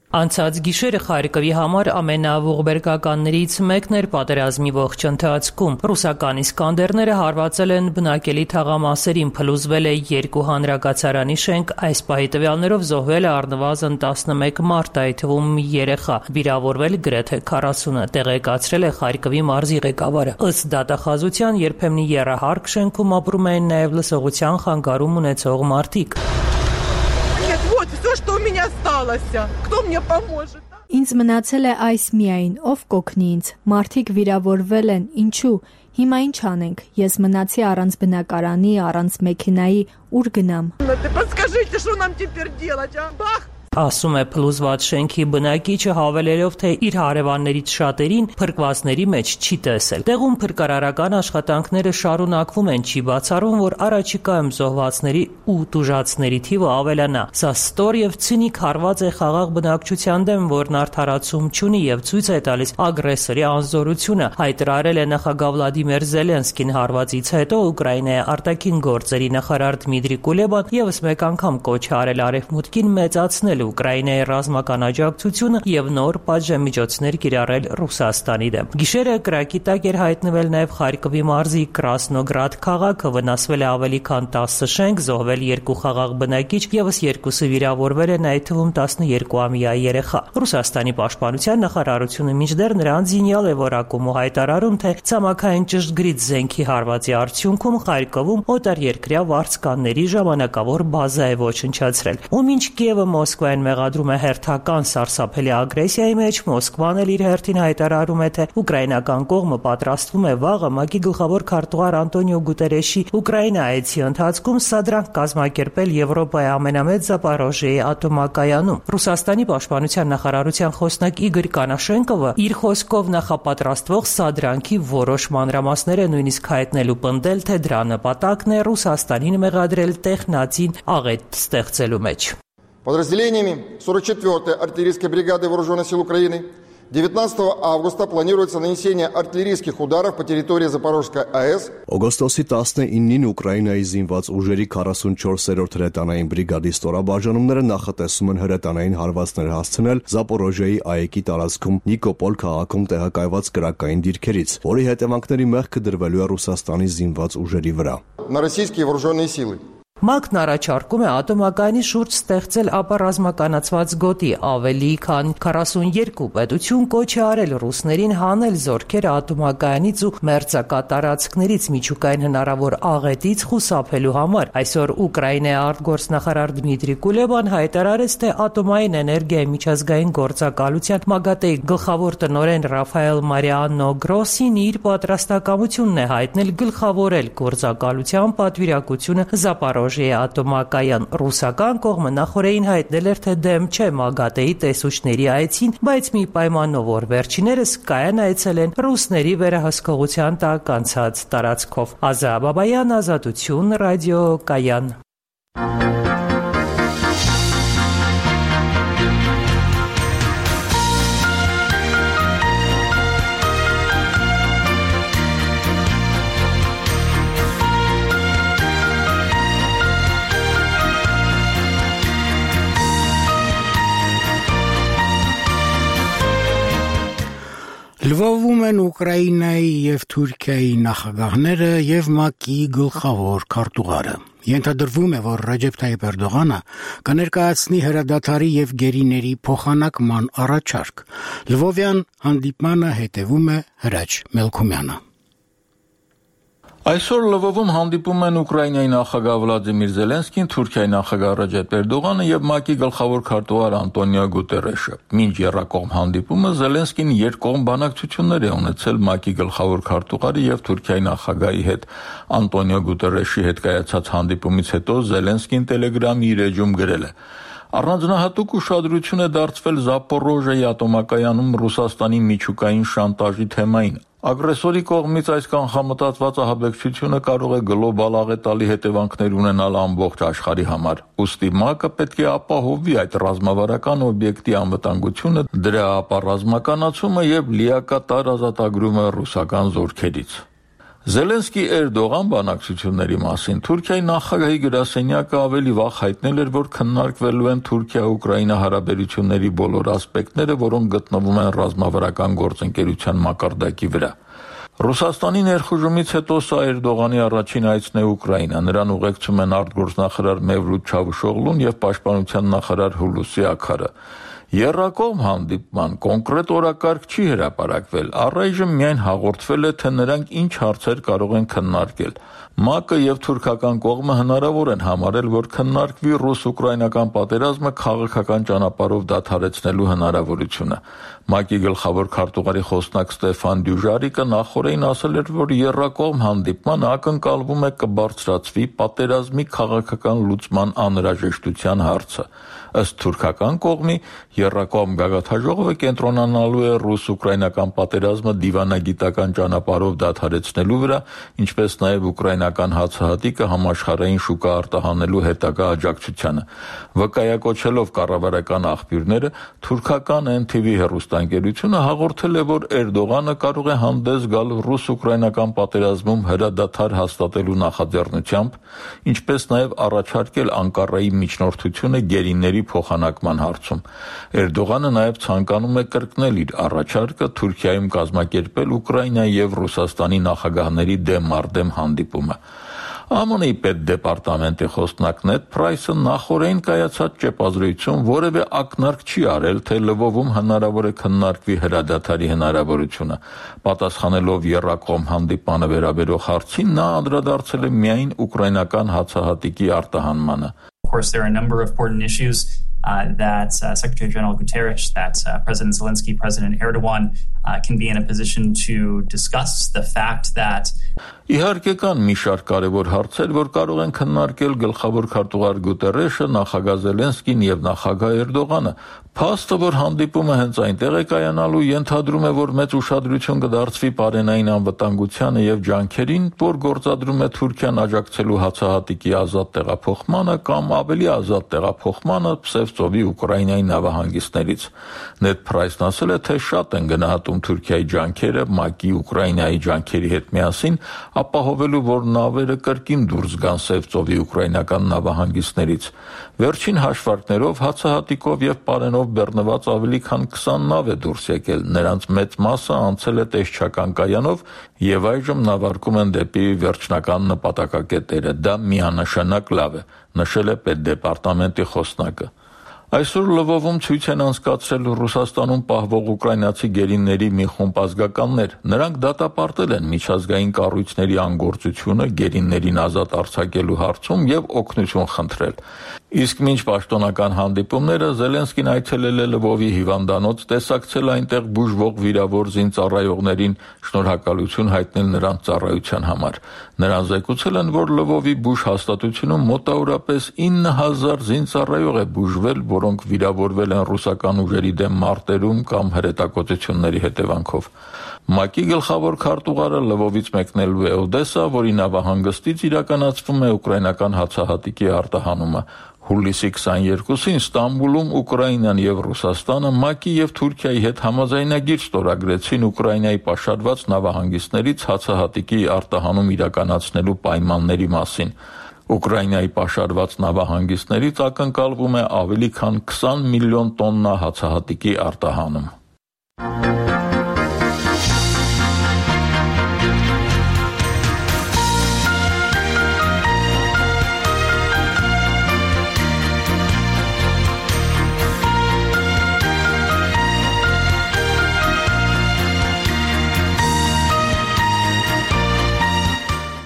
Անցած գիշերը Խարկովի համար ամենաողբերգականներից մեկն էր պատերազմի ողջ ընթացքում։ Ռուսական իսկանդերները հարվածել են բնակելի թաղամասերին, փլուզվել է երկու հանրակացարանի շենք, այս պահի տվյալներով զոհվել է առնվազն տասնմեկ մարդ, այդ թվում մի երեխա, վիրավորվել գրեթե քառասունը, տեղեկացրել է Խարկովի մարզի ղեկավարը։ Ըստ դատախազության երբեմն եռահարկ շենքում ապրում են նաև լսողության խանգարում ունեցող մարդիկ։ Что у меня осталось? Кто мне поможет? Ինձ մնացել է այս միայն, ով կօգնի ինձ։ Մարդիկ վիրավորվել են, ինչու։ Հիմա ինչ անենք։ Ես մնացի առանց բնակարանի, առանց մեքենայի, ուր գնամ։ Подскажите, что нам теперь делать, а? Бах! Ասում է փլուզված շենքի բնակիչը, հավելելով, թե իր հարևաններից շատերին փրկվածների մեջ չի տեսել։ Տեղում փրկարարական աշխատանքները շարունակվում են, չի բացառվում, որ առաջիկայում զոհվածների ու տուժածների թիվը ավելանա։ Սա ստոր եւ ցինիկ հարված է խաղաղ բնակչության դեմ, որն արդարացում չունի եւ ցույց է տալիս ագրեսորի անզորությունը, հայտարարել է նախագահ Վլադիմիր Զելենսկին հարվածից հետո Ուկրաինայի արտաքին գործերի նախարար Դմիտրի Կուլեբան եւս մեկ անգամ կոչ է արել արևմուտքին մեծացնել Ուկրաինայի ռազմական աջակցությունը եւ նոր պատժամիջոցներ կիրառել Ռուսաստանի դեմ։ Գիշերը կրակի տակ էր հայտնվել նաեւ Խարկովի մարզի Կրասնոգրադ քաղաքը, վնասվել է ավելի քան տասը շենք, զոհվել երկու խաղաղ բնակիչ, եւս երկուսը վիրավորվել են, այդ թվում տասներկուամյա երեխա։ Ռուսաստանի պաշտպանության նախարարությունը մինչդեռ նրան զինյալ է որակում ու հայտարարում, թե ցամաքային ճշգրիտ զենքի հարվածի արդյունքում Խարկովում օտարերկրյա վարձկանների ժամանակավոր բազա է ոչնչացրել։ Ու մինչ Կիևը Մոսկվային մեղադրում է հերթական սարսափելի ագրեսիայի մեջ, Մոսկվան էլ իր հերթին հայտարարում է, թե ուկրաինական կողմը պատրաստվում է վաղը ՄԱԿ-ի գլխավոր քարտուղար Անտոնիո Գուտերեշի Ուկրաինա այցի ընթացքում սադրանք կազմակերպել Եվրոպայի ամենամեծ Զապորոժիեի ատոմակայանում։ Ռուսաստանի պաշտպանության նախարարության խոսնակ Իգոր Կանաշենկովը իր խոսքով նախապատրաստվող սադրանքի որոշ մանրամասներ է նույնիսկ հայտնել ու պնդել, թե դրա նպատակն է Ռուսաստանին մեղադրել տեխնացին աղետ ստեղծելու մեջ։ Подразделениями сорок четвёртой артиллерийской бригады Вооруженных сил Украины девятнадцатого августа планируется нанесение артиллерийских ударов по территории Запорожской АЭС. Օգոստոսի տասնինին Ուկրաինայի զինված ուժերի քառասունչորսերորդ հրետանային բրիգադի ստորաբաժանումները նախատեսում են հրետանային հարվածներ հասցնել Զապորոժիեի ԱԵԿ-ի տարածքում Նիկոպոլ քաղաքում տեղակայված կրակային դիրքերից, որի հետևանքների մեղքը դրվելու է Ռուսաստանի զինված ուժերի վրա։ На российские вооруженные силы. ՄԱԿ-ն առաջարկում է ատոմակայանի շուրջ ստեղծել ապառազմականացված գոտի, ավելի քան քառասունյոթ պետություն կոչ է արել ռուսներին հանել զորքերը ատոմակայանից ու մերձակատարածքներից միջուկային հնարավոր աղետից խուսափելու համար։ Այսօր Ուկրաինայի արտգործնախարար Դմիտրի Կուլեբան հայտարարեց, թե ատոմային էներգիայի միջազգային գործակալության ՄԱԳԱՏԵ-ի գլխավոր տնօրեն Ռաֆայել Մարիանո Գրոսին իր պատրաստակամությունն է հայտնել գլխավորել գործակալության պատվիրակությունը Զապորոժիեի ատոմակայան։ Ռուսական կողմը նախորդին հայտնել էր, թե դեմ չէ ՄԱԳԱՏԵ-ի տեսուչների այցին, բայց մի պայմանով, որ վերջիներս կայան այցելեն ռուսների վերահսկողության տակ անցած տարածքով։ Ազա Բաբայան, Ազատություն, ռադիո Կայան։ Լվովում են Ուկրաինայի եւ Թուրքիայի նախագահները եւ ՄԱԿ-ի գլխավոր քարտուղարը։ Ենթադրվում է, որ Ռեջեփ Թայիփ Էրդողանը կներկայացնի հրադադարի եւ գերիների փոխանակման առաջարկ։ Լվովյան հանդիպմանը հետևում է Հրաչ Մելքումյանը։ Այսօր Լվովում հանդիպում են Ուկրաինայի նախագահ Վլադիմիր Զելենսկին, Թուրքիայի նախագահ Ռեջեփ Էրդողանը եւ ՄԱԿ-ի գլխավոր քարտուղար Անտոնիո Գուտերեշը։ Մինչ եռակողմ հանդիպումը Զելենսկին երկկողմ բանակցություններ է ունեցել ՄԱԿ-ի գլխավոր քարտուղարի եւ Թուրքիայի նախագահի հետ։ Անտոնիո Գուտերեշի հետ կայացած հանդիպումից հետո Զելենսկին Telegram-ի իր էջում գրել է. Առանձնահատուկ ուշադրություն է դարձվել Զապորոժիեի ատոմակայանում Ռուսաստանի միջուկային շանտաժի թեմային։ Ագրեսորի կողմից այս կանխամտածված ահաբեկչությունը կարող է գլոբալ աղետալի հետևանքներ ունենալ ամբողջ աշխարհի համար։ Ուստի ՄԱԿ-ը պետք է ապահովի այդ ռազմավարական օբյեկտի անվտանգությունը, դրա ապառազմականացումը եւ լիակատար ազատագրումը ռուսական զորքերից։ Զելենսկի-Էրդողան բանակցությունների մասին Թուրքիայի նախագահի գրասենյակը ավելի վաղ հայտնել էր, որ քննարկվելու են Թուրքիա-Ուկրաինա հարաբերությունների բոլոր ասպեկտները, որոնք գտնվում են ռազմավարական գործընկերության մակարդակի վրա։ Ռուսաստանի ներխուժումից հետո սա Էրդողանի առաջին այցն է Ուկրաինա։ Նրան ուղեկցում են արտգործնախարար Մևլութ Չավուշօղլուն եւ պաշտպանության նախարար Հուլուսի Աքարը։ Եռակողմ հանդիպման կոնկրետ օրակարգ չի հրապարակվել, առայժմ միայն հաղորդվել է, թե նրանք ինչ հարցեր կարող են քննարկել։ ՄԱԿ-ը եւ թուրքական կողմը հնարավոր են համարել, որ քննարկվի ռուս-ուկրաինական պատերազմը քաղաքական ճանապարհով դադարեցնելու հնարավորությունը։ ՄԱԿ-ի գլխավոր քարտուղարի խոսնակ Ստեֆան Դյուժարիկը նախորդին ասել էր, որ եռակողմ հանդիպման ակնկալվում է կբարձրացվի պատերազմի քաղաքական լուծման անհրաժեշտության հարցը։ Ըստ թուրքական կողմի, եռակողմ գագաթնաժողովը կենտրոնանալու է ռուս-ուկրաինական պատերազմը դիվանագիտական ճանապարհով դադարեցնելու վրա, ինչպես նաև ուկրաինական հացահատիկը համաշխարհային շուկա արտահանելու հետագա աջակցությանը։ Վկայակոչելով կառավարական աղբյուրները, թուրքական N T V հեռուստաընկերությունը հաղորդել է, որ Էրդողանը կարող է հանդես գալ ռուս-ուկրաինական պատերազմում հրադադար հաստատելու նախաձեռնությամբ, ինչպես նաև առաջարկել Անկարայի միջնորդությունը գերիների փոխանակման հարցում։ Էրդողանը նաև ցանկանում է կրկնել իր առաջարկը Թուրքիայում կազմակերպել Ուկրաինայի եւ Ռուսաստանի նախագահների դեմ մարդեմ հանդիպումը։ Ամն Ի պետդեպարտամենտի խոսնակ Նեդ Փրայսը նախորդին կայացած ճեպազրույցում որևէ ակնարկ չի արել, թե Լվովում հնարավոր է քննարկվի հրադադարի հնարավորությունը։ Պատասխանելով եռակողմ հանդիպանը վերաբերող հարցին, նա անդրադարձել է միայն ուկրաինական հացահատիկի արտահանմանը։ Of course, there are a number of important issues uh, that uh, Secretary General Guterres, that uh, President Zelensky, President Erdogan uh, can be in a position to discuss the fact that Իհարկե կան մի շարք կարևոր հարցեր, որ կարող են քննարկել գլխավոր քարտուղար Գուտերեշը, նախագահ Զելենսկին եւ նախագահ Էրդողանը։ Փաստը, որ հանդիպումը հենց այնտեղ է կայանալու, ենթադրում է, որ մեծ ուշադրություն կդարձվի պարենային անվտանգությանը եւ ջանքերին, որ գործադրում է Թուրքիան աջակցելու հացահատիկի ազատ տեղափոխմանը կամ ավելի ազատ տեղափոխմանը Պսևծովի Ուկրաինայի նավահանգիստներից։ Նեդ Փրայսն ասել է, թե շատ են գնահատում Թուրքիայի ջանքերը ՄԱԿ-ի Ուկրաինայի ջանքերի հետ միասին, ապահովելու, որ նավերը կրկին դուրս գան Սևծովի ուկրաինական նավահանգիստներից։ Վերջին հաշվարկներով հացահատիկով եւ պարենով բեռնված ավելի քան քսան նավ է դուրս եկել, նրանց մեծ մասը անցել է տեսչական կայանով եւ այժմ նավարկում են դեպի վերջնական նպատակակետերը։ Դա միանշանակ լավ է, նշել է պետդեպարտամենտի խոսնակը։ Այսօր Լվովում ցույց են անցկացրել Ռուսաստանում պահվող ուկրաինացի գերիների մի խումբ ազգականներ։ Նրանք դատապարտել են միջազգային կառույցների անգործությունը գերիներին ազատ արձակելու հարցում եւ օգնություն խնդրել։ Իսկ մինչ պաշտոնական հանդիպումները Զելենսկին այցելել է Լվովի հիվանդանոց, տեսակցել այնտեղ բուժվող վիրավոր զինծառայողներին, շնորհակալություն հայտնել նրանց ծառայության համար։ Նրանք զեկուցել են, որ Լվովի բուժ հաստատությունում մոտավորապես ինը հազար զինծառայող է բուժվել, որոնք վիրավորվել են ռուսական ուժերի դեմ մարտերում կամ հրետակոծությունների հետևանքով։ ՄԱԿ-ի գլխավոր քարտուղարը Լվովից մեկնելու է Օդեսա, որի նավահանգստից իրականացվում է ուկրաինական հացահատիկի արտահանումը։ Հուլիսի քսաներկուսին Ստամբուլում Ուկրաինան եւ Ռուսաստանը ՄԱԿ-ի եւ Թուրքիայի հետ համաձայնագիր ստորագրեցին Ուկրաինայի պաշարված նավահանգիստներից հացահատիկի արտահանում իրականացնելու պայմանների մասին։ Ուկրաինայի պաշարված նավահանգիստներից ակնկալվում է ավելի քան քսան միլիոն տոննա հացահատիկի արտահանում։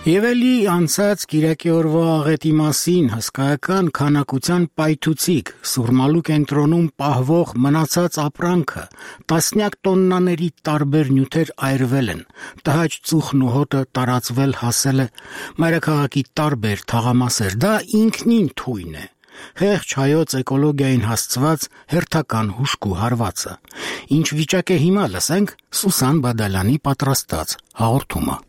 Եվ էլի անցած Կիրակի օրվա աղետի մասին հսկայական քանակության պայթուցիկ Սուրմալու կենտրոնում պահվող մնացած ապրանքը տասնյակ տոննաների տարբեր նյութեր այրվել են, տհաճ ծուխն ու հոտը տարածվել հասել է մայրաքաղաքի տարբեր թաղամասեր, դա ինքնին թույն է։ Խեղճ հայոց էկոլոգիային հասցված հերթական հուշկու հարվածը։ Ինչ վիճակ է հիմա, լսենք Սուսան Բադալյանի պատրաստած հաղորդումը։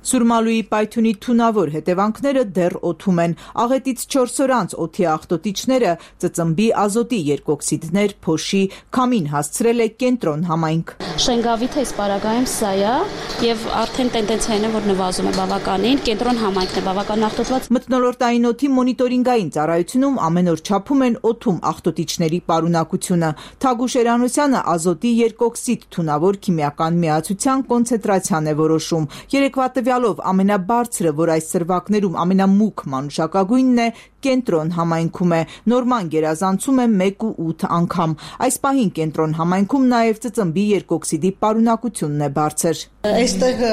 Սուրմալուի պայթյունի թունավոր հետևանքները դեռ օդում են։ Աղետից չորս օր անց օդի աղտոտիչները ծծմբի ազոտի երկօքսիդներ, փոշի, քամին հասցրել է կենտրոն համայնք։ Շենգավիթը իսպարագայում սա է եւ արդեն տենդենցիան է, որ նվազում է բավականին, կենտրոն համայնքն է բավական աղտոտված։ Մթնոլորտային օդի մոնիտորինգային ծառայությունում ամեն օր չափում են օդում աղտոտիչների պարունակությունը։ Թագուշ Էրանոսյանը ազոտի երկօքսիդ թունավոր քիմիական միացության կոնցենտրացիան է որոշում։ Երեկվա տվյալով ամենաբարձրը, որ այս սրվակներում ամենամուգ մանուշակագույնն է, կենտրոն համայնքում է, նորման գերազանցում է մեկ ու ութ անգամ։ Այս պահին կենտրոն համայնքում նաև ծծմբի երկօքսիդի պարունակությունն է բարձր։ Այստեղ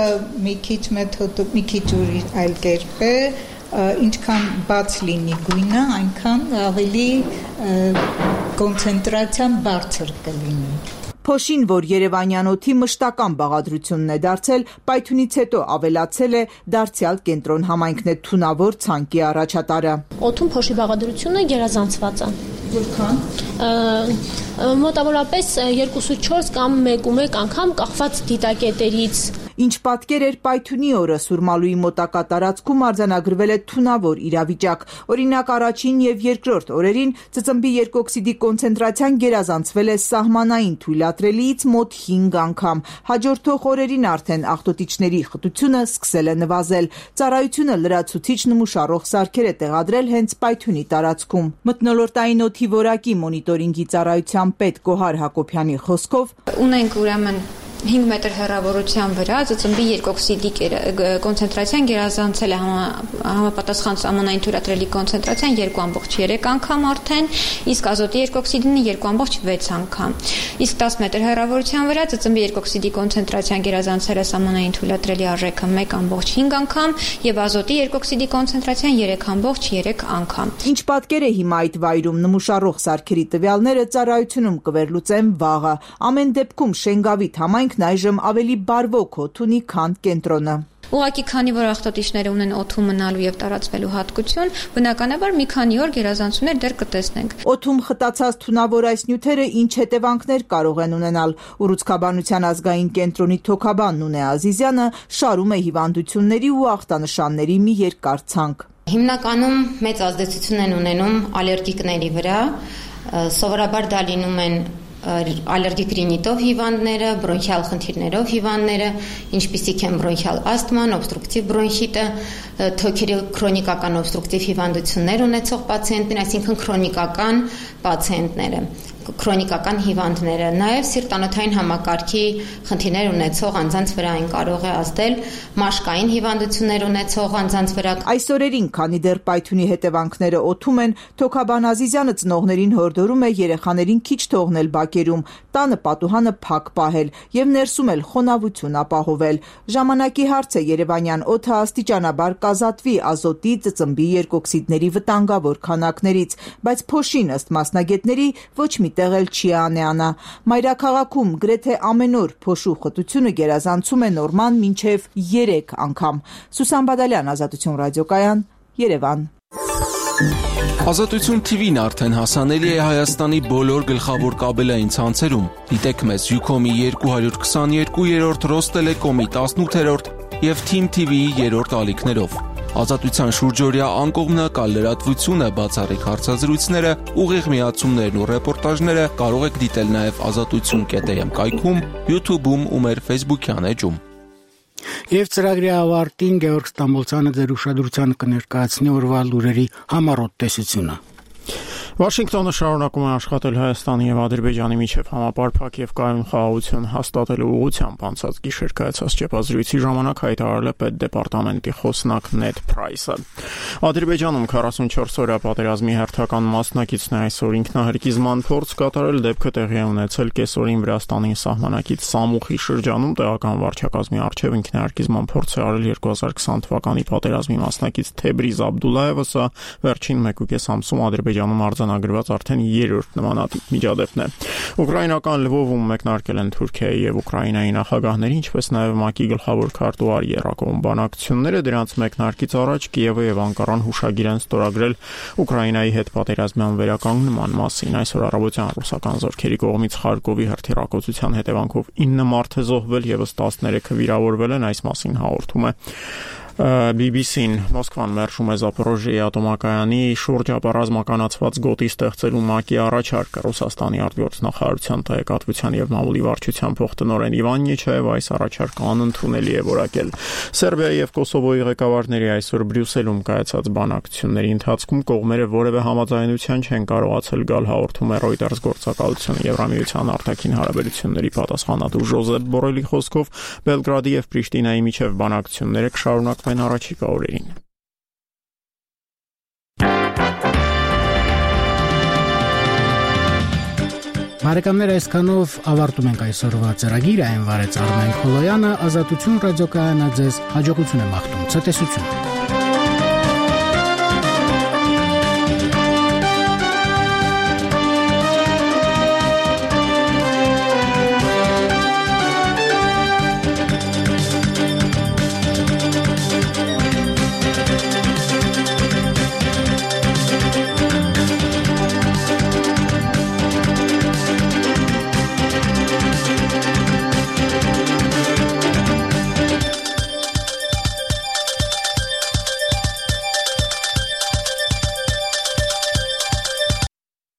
մի քիչ մեթոդը, մի քիչ ուրիշ այլ կերպ է, ինչքան բաց լինի գույնը, այնքան ավելի կոնցենտրացիան բարձր կլինի։ Փոշին, որ Երևանյան օդի մշտական բաղադրությունն է դարձել, պայթյունից հետո ավելացել է, դարձյալ կենտրոն համայնքն է թունավոր ցանկի առաջատարը։ Օդում փոշի բաղադրությունը գերազանցված է։ Որքան։ Մոտավորապես երկուսից չորս կամ մեկ ու մեկ անգամ կախված դիտակետերից։ Ինչ պատկեր էր պայթյունի օրը Սուրմալուի մոտակա տարածքում արձանագրվել է թունավոր իրավիճակ։ Օրինակ առաջին եւ երկրորդ օրերին ծծմբի երկօքսիդի կոնցենտրացիան գերազանցվել է սահմանային թույլատրելիից մոտ հինգ անգամ։ Հաջորդող օրերին արդեն աղտոտիչների խտությունը սկսել է նվազել։ Ծառայությունը լրացուցիչ նմուշառող սարքեր է տեղադրել հենց պայթյունի տարածքում։ Մթնոլորտային օդի որակի մոնիտորինգի ծառայության պետ Գոհար Հակոբյանի խոսքով ունենք ուրեմն հինգ մետր հեռավորության վրա ծծմբի երկօքսիդի կոնցենտրացիան գերազանցել է համապատասխան սահմանային թույլատրելի կոնցենտրացիան երկու ամբողջ երեք անգամ արդեն, իսկ ազոտի երկօքսիդին երկու ամբողջ վեց անգամ։ Իսկ դես մետր հեռավորության վրա ծծմբի երկօքսիդի կոնցենտրացիան գերազանցել է սահմանային թույլատրելի արժեքը մեկ ամբողջ հինգ անգամ եւ ազոտի երկօքսիդի կոնցենտրացիան երեք ամբողջ երեք անգամ։ Ինչ պատկեր է հիմա այդ վայրում նմուշառող սարքերի տվյալները ծառայությունում կվերլուծեն վաղը։ Ամեն դեպքում Շենգավիթ համայնքն այժմ ավելի բարվոք օդ ունի, քան կենտրոնը։ Ուղղակի քանի որ աղտոտիչները ունեն օդում մնալու եւ տարածվելու հատկություն, բնականաբար մի քանի օր գերազանցումներ դեռ կտեսնենք։ Օդում խտացած թունավոր այս նյութերը ինչ հետևանքներ կարող են ունենալ։ Ուռուցքաբանության ազգային կենտրոնի թոքաբան Նունե Ազիզյանը շարում է հիվանդությունների ու ախտանշանների մի երկար ցանկ։ Հիմնականում մեծ ազդեցություն են ունենում ալերգիկների վրա, սովորաբար դա լինում են ալերգիկ ռինիտով հիվանդները, բրոնխիալ խնդիրներով հիվանդները, ինչպիսիք են բրոնխիալ ասթման, օբստրուկտիվ բրոնխիտը, թոքերի քրոնիկական օբստրուկտիվ հիվանդություններ ունեցող պացիենտներ, այսինքն քրոնիկական պացիենտները, քրոնիկական հիվանդները, նաև սիրտանոթային համակարգի խնդիրներ ունեցող անձանց վրա այն կարող է ազդել, մաշկային հիվանդություններ ունեցող անձանց վրա։ Այս օրերին, քանի դեռ պայթյունի հետևանքները օդում են, Թոքաբան Ազիզյանը ծնողներին հորդորում է երեխաներին քիչ թողնել բակերում, տանը պատուհանը փակ պահել եւ ներսում էլ խոնավություն ապահովել։ Ժամանակի հարց է Երևանյան օդը աստիճանաբար կազատվի ազոտի, ծծմբի երկօքսիդների վտանգավոր քանակներից, բայց փոշին ըստ մասնագետների ոչ մի տեղ էլ չի անեանա։ Մայրաքաղաքում գրեթե ամեն օր փոշու խտությունը գերազանցում է նորման մինչև երեք անգամ։ Սուսան Բադալյան, Ազատություն ռադիոկայան, Երևան։ Ազատություն թիվին արդեն հասանելի է Հայաստանի բոլոր գլխավոր կաբելային ցանցերում։ Դիտեք մեզ Յուքոմի երկու հարյուր քսաներկու, Ռոստելեկոմի տասնութերորդ եւ Թիմ թի վիի երրորդ ալիքներով։ Ազատության շուրջօրյա անկողմնակալ լրատվությունը, բացառիկ հարցազրույցները, ուղիղ միացումներն ու ռեպորտաժները կարող եք դիտել նաև ազատություն կետ էմ կայքում, YouTube-ում ու մեր Facebook-յան էջում։ Եվ ծրագրի ավարտին Գեորգ Ստամբոլցյանը ձեր ուշադրությանը կներկայացնի օրվա լուրերի համառոտ տեսությունը։ Վաշինգտոնը շարունակում է աշխատել Հայաստանի եւ Ադրբեջանի միջև համապարփակ եւ կայուն խաղաղություն հաստատելու ուղղությամբ անցած գիշեր կայացած ճեպազրույցի ժամանակ հայտարարել է Պետդեպարտամենտի խոսնակ Նեդ Փրայսը։ Ադրբեջանում քառասունչորս օրյա պատերազմի հերթական մասնակիցն է այսօր ինքնահրկիզման փորձ կատարել, դեպքը տեղի է ունեցել կեսօրին Վրաստանի սահմանակից Սամուխի շրջանում տեղական վարչակազմի առջև ինքնահրկիզման փորձ է արել երկու հազար քսան թվականի պատերազմի մասնակից Թեբրիզ Աբդուլլայևը, սա վերջին մեկուկես ամսում Ադրբեջանում արձան արձանագրված արդեն երրորդ նմանատիպ միջադեպն է։ Ուկրաինական Լվովում մեկնարկել են Թուրքիայի եւ Ուկրաինայի նախագահների, ինչպես նաեւ ՄԱԿ-ի գլխավոր քարտուղար Երակոմ բանակցությունները, դրանց մեկնարկից առաջ Կիևը եւ Անկարան հուշագիր են ստորագրել Ուկրաինայի հետ պատերազմյան վերականգնման մասին։ Այսօր առավոտյան ռուսական զորքերի կողմից Խարկովի հրթիռակոծության հետևանքով ինը մարդ է զոհվել, եւս տասներեքը վիրավորվել են, այս մասին հաղորդում է B B C-ն Մոսկվան մերժում է Զապորոժիեի ատոմակայանի շուրջ ապառազմականացված գոտի ստեղծելու ՄԱԿ-ի առաջարկը։ Ռուսաստանի արտգործնախարարության տեղեկատվության եւ մամուլի վարչության փոխտնօրեն Իվան Նեչաև այս առաջարկը անընդունելի է որակել։ Սերբիայի եւ Կոսովոյի ղեկավարների այսօր Բրյուսելում կայացած բանակցությունների ընթացքում կողմերը որևէ համաձայնության չեն կարողացել գալ, հաղորդում է Reuters գործակալությունը։ Եվրամիության արտաքին հարաբերությունների պատասխանատու Ժոզեփ Բորելի խոսքով Բելգրադի եւ Պրիշտինայի միջև բանակցությունները կշարունակվեն առաջիկա օրերին։ Բարեկամներ, այսքանով ավարտում ենք այսօրվա ծրագիրը, այն վարեց Արմեն Խոլոյանը, Ազատություն ռադիոկայանը ձեզ հաջողություն է մաղթում, ցտեսություն։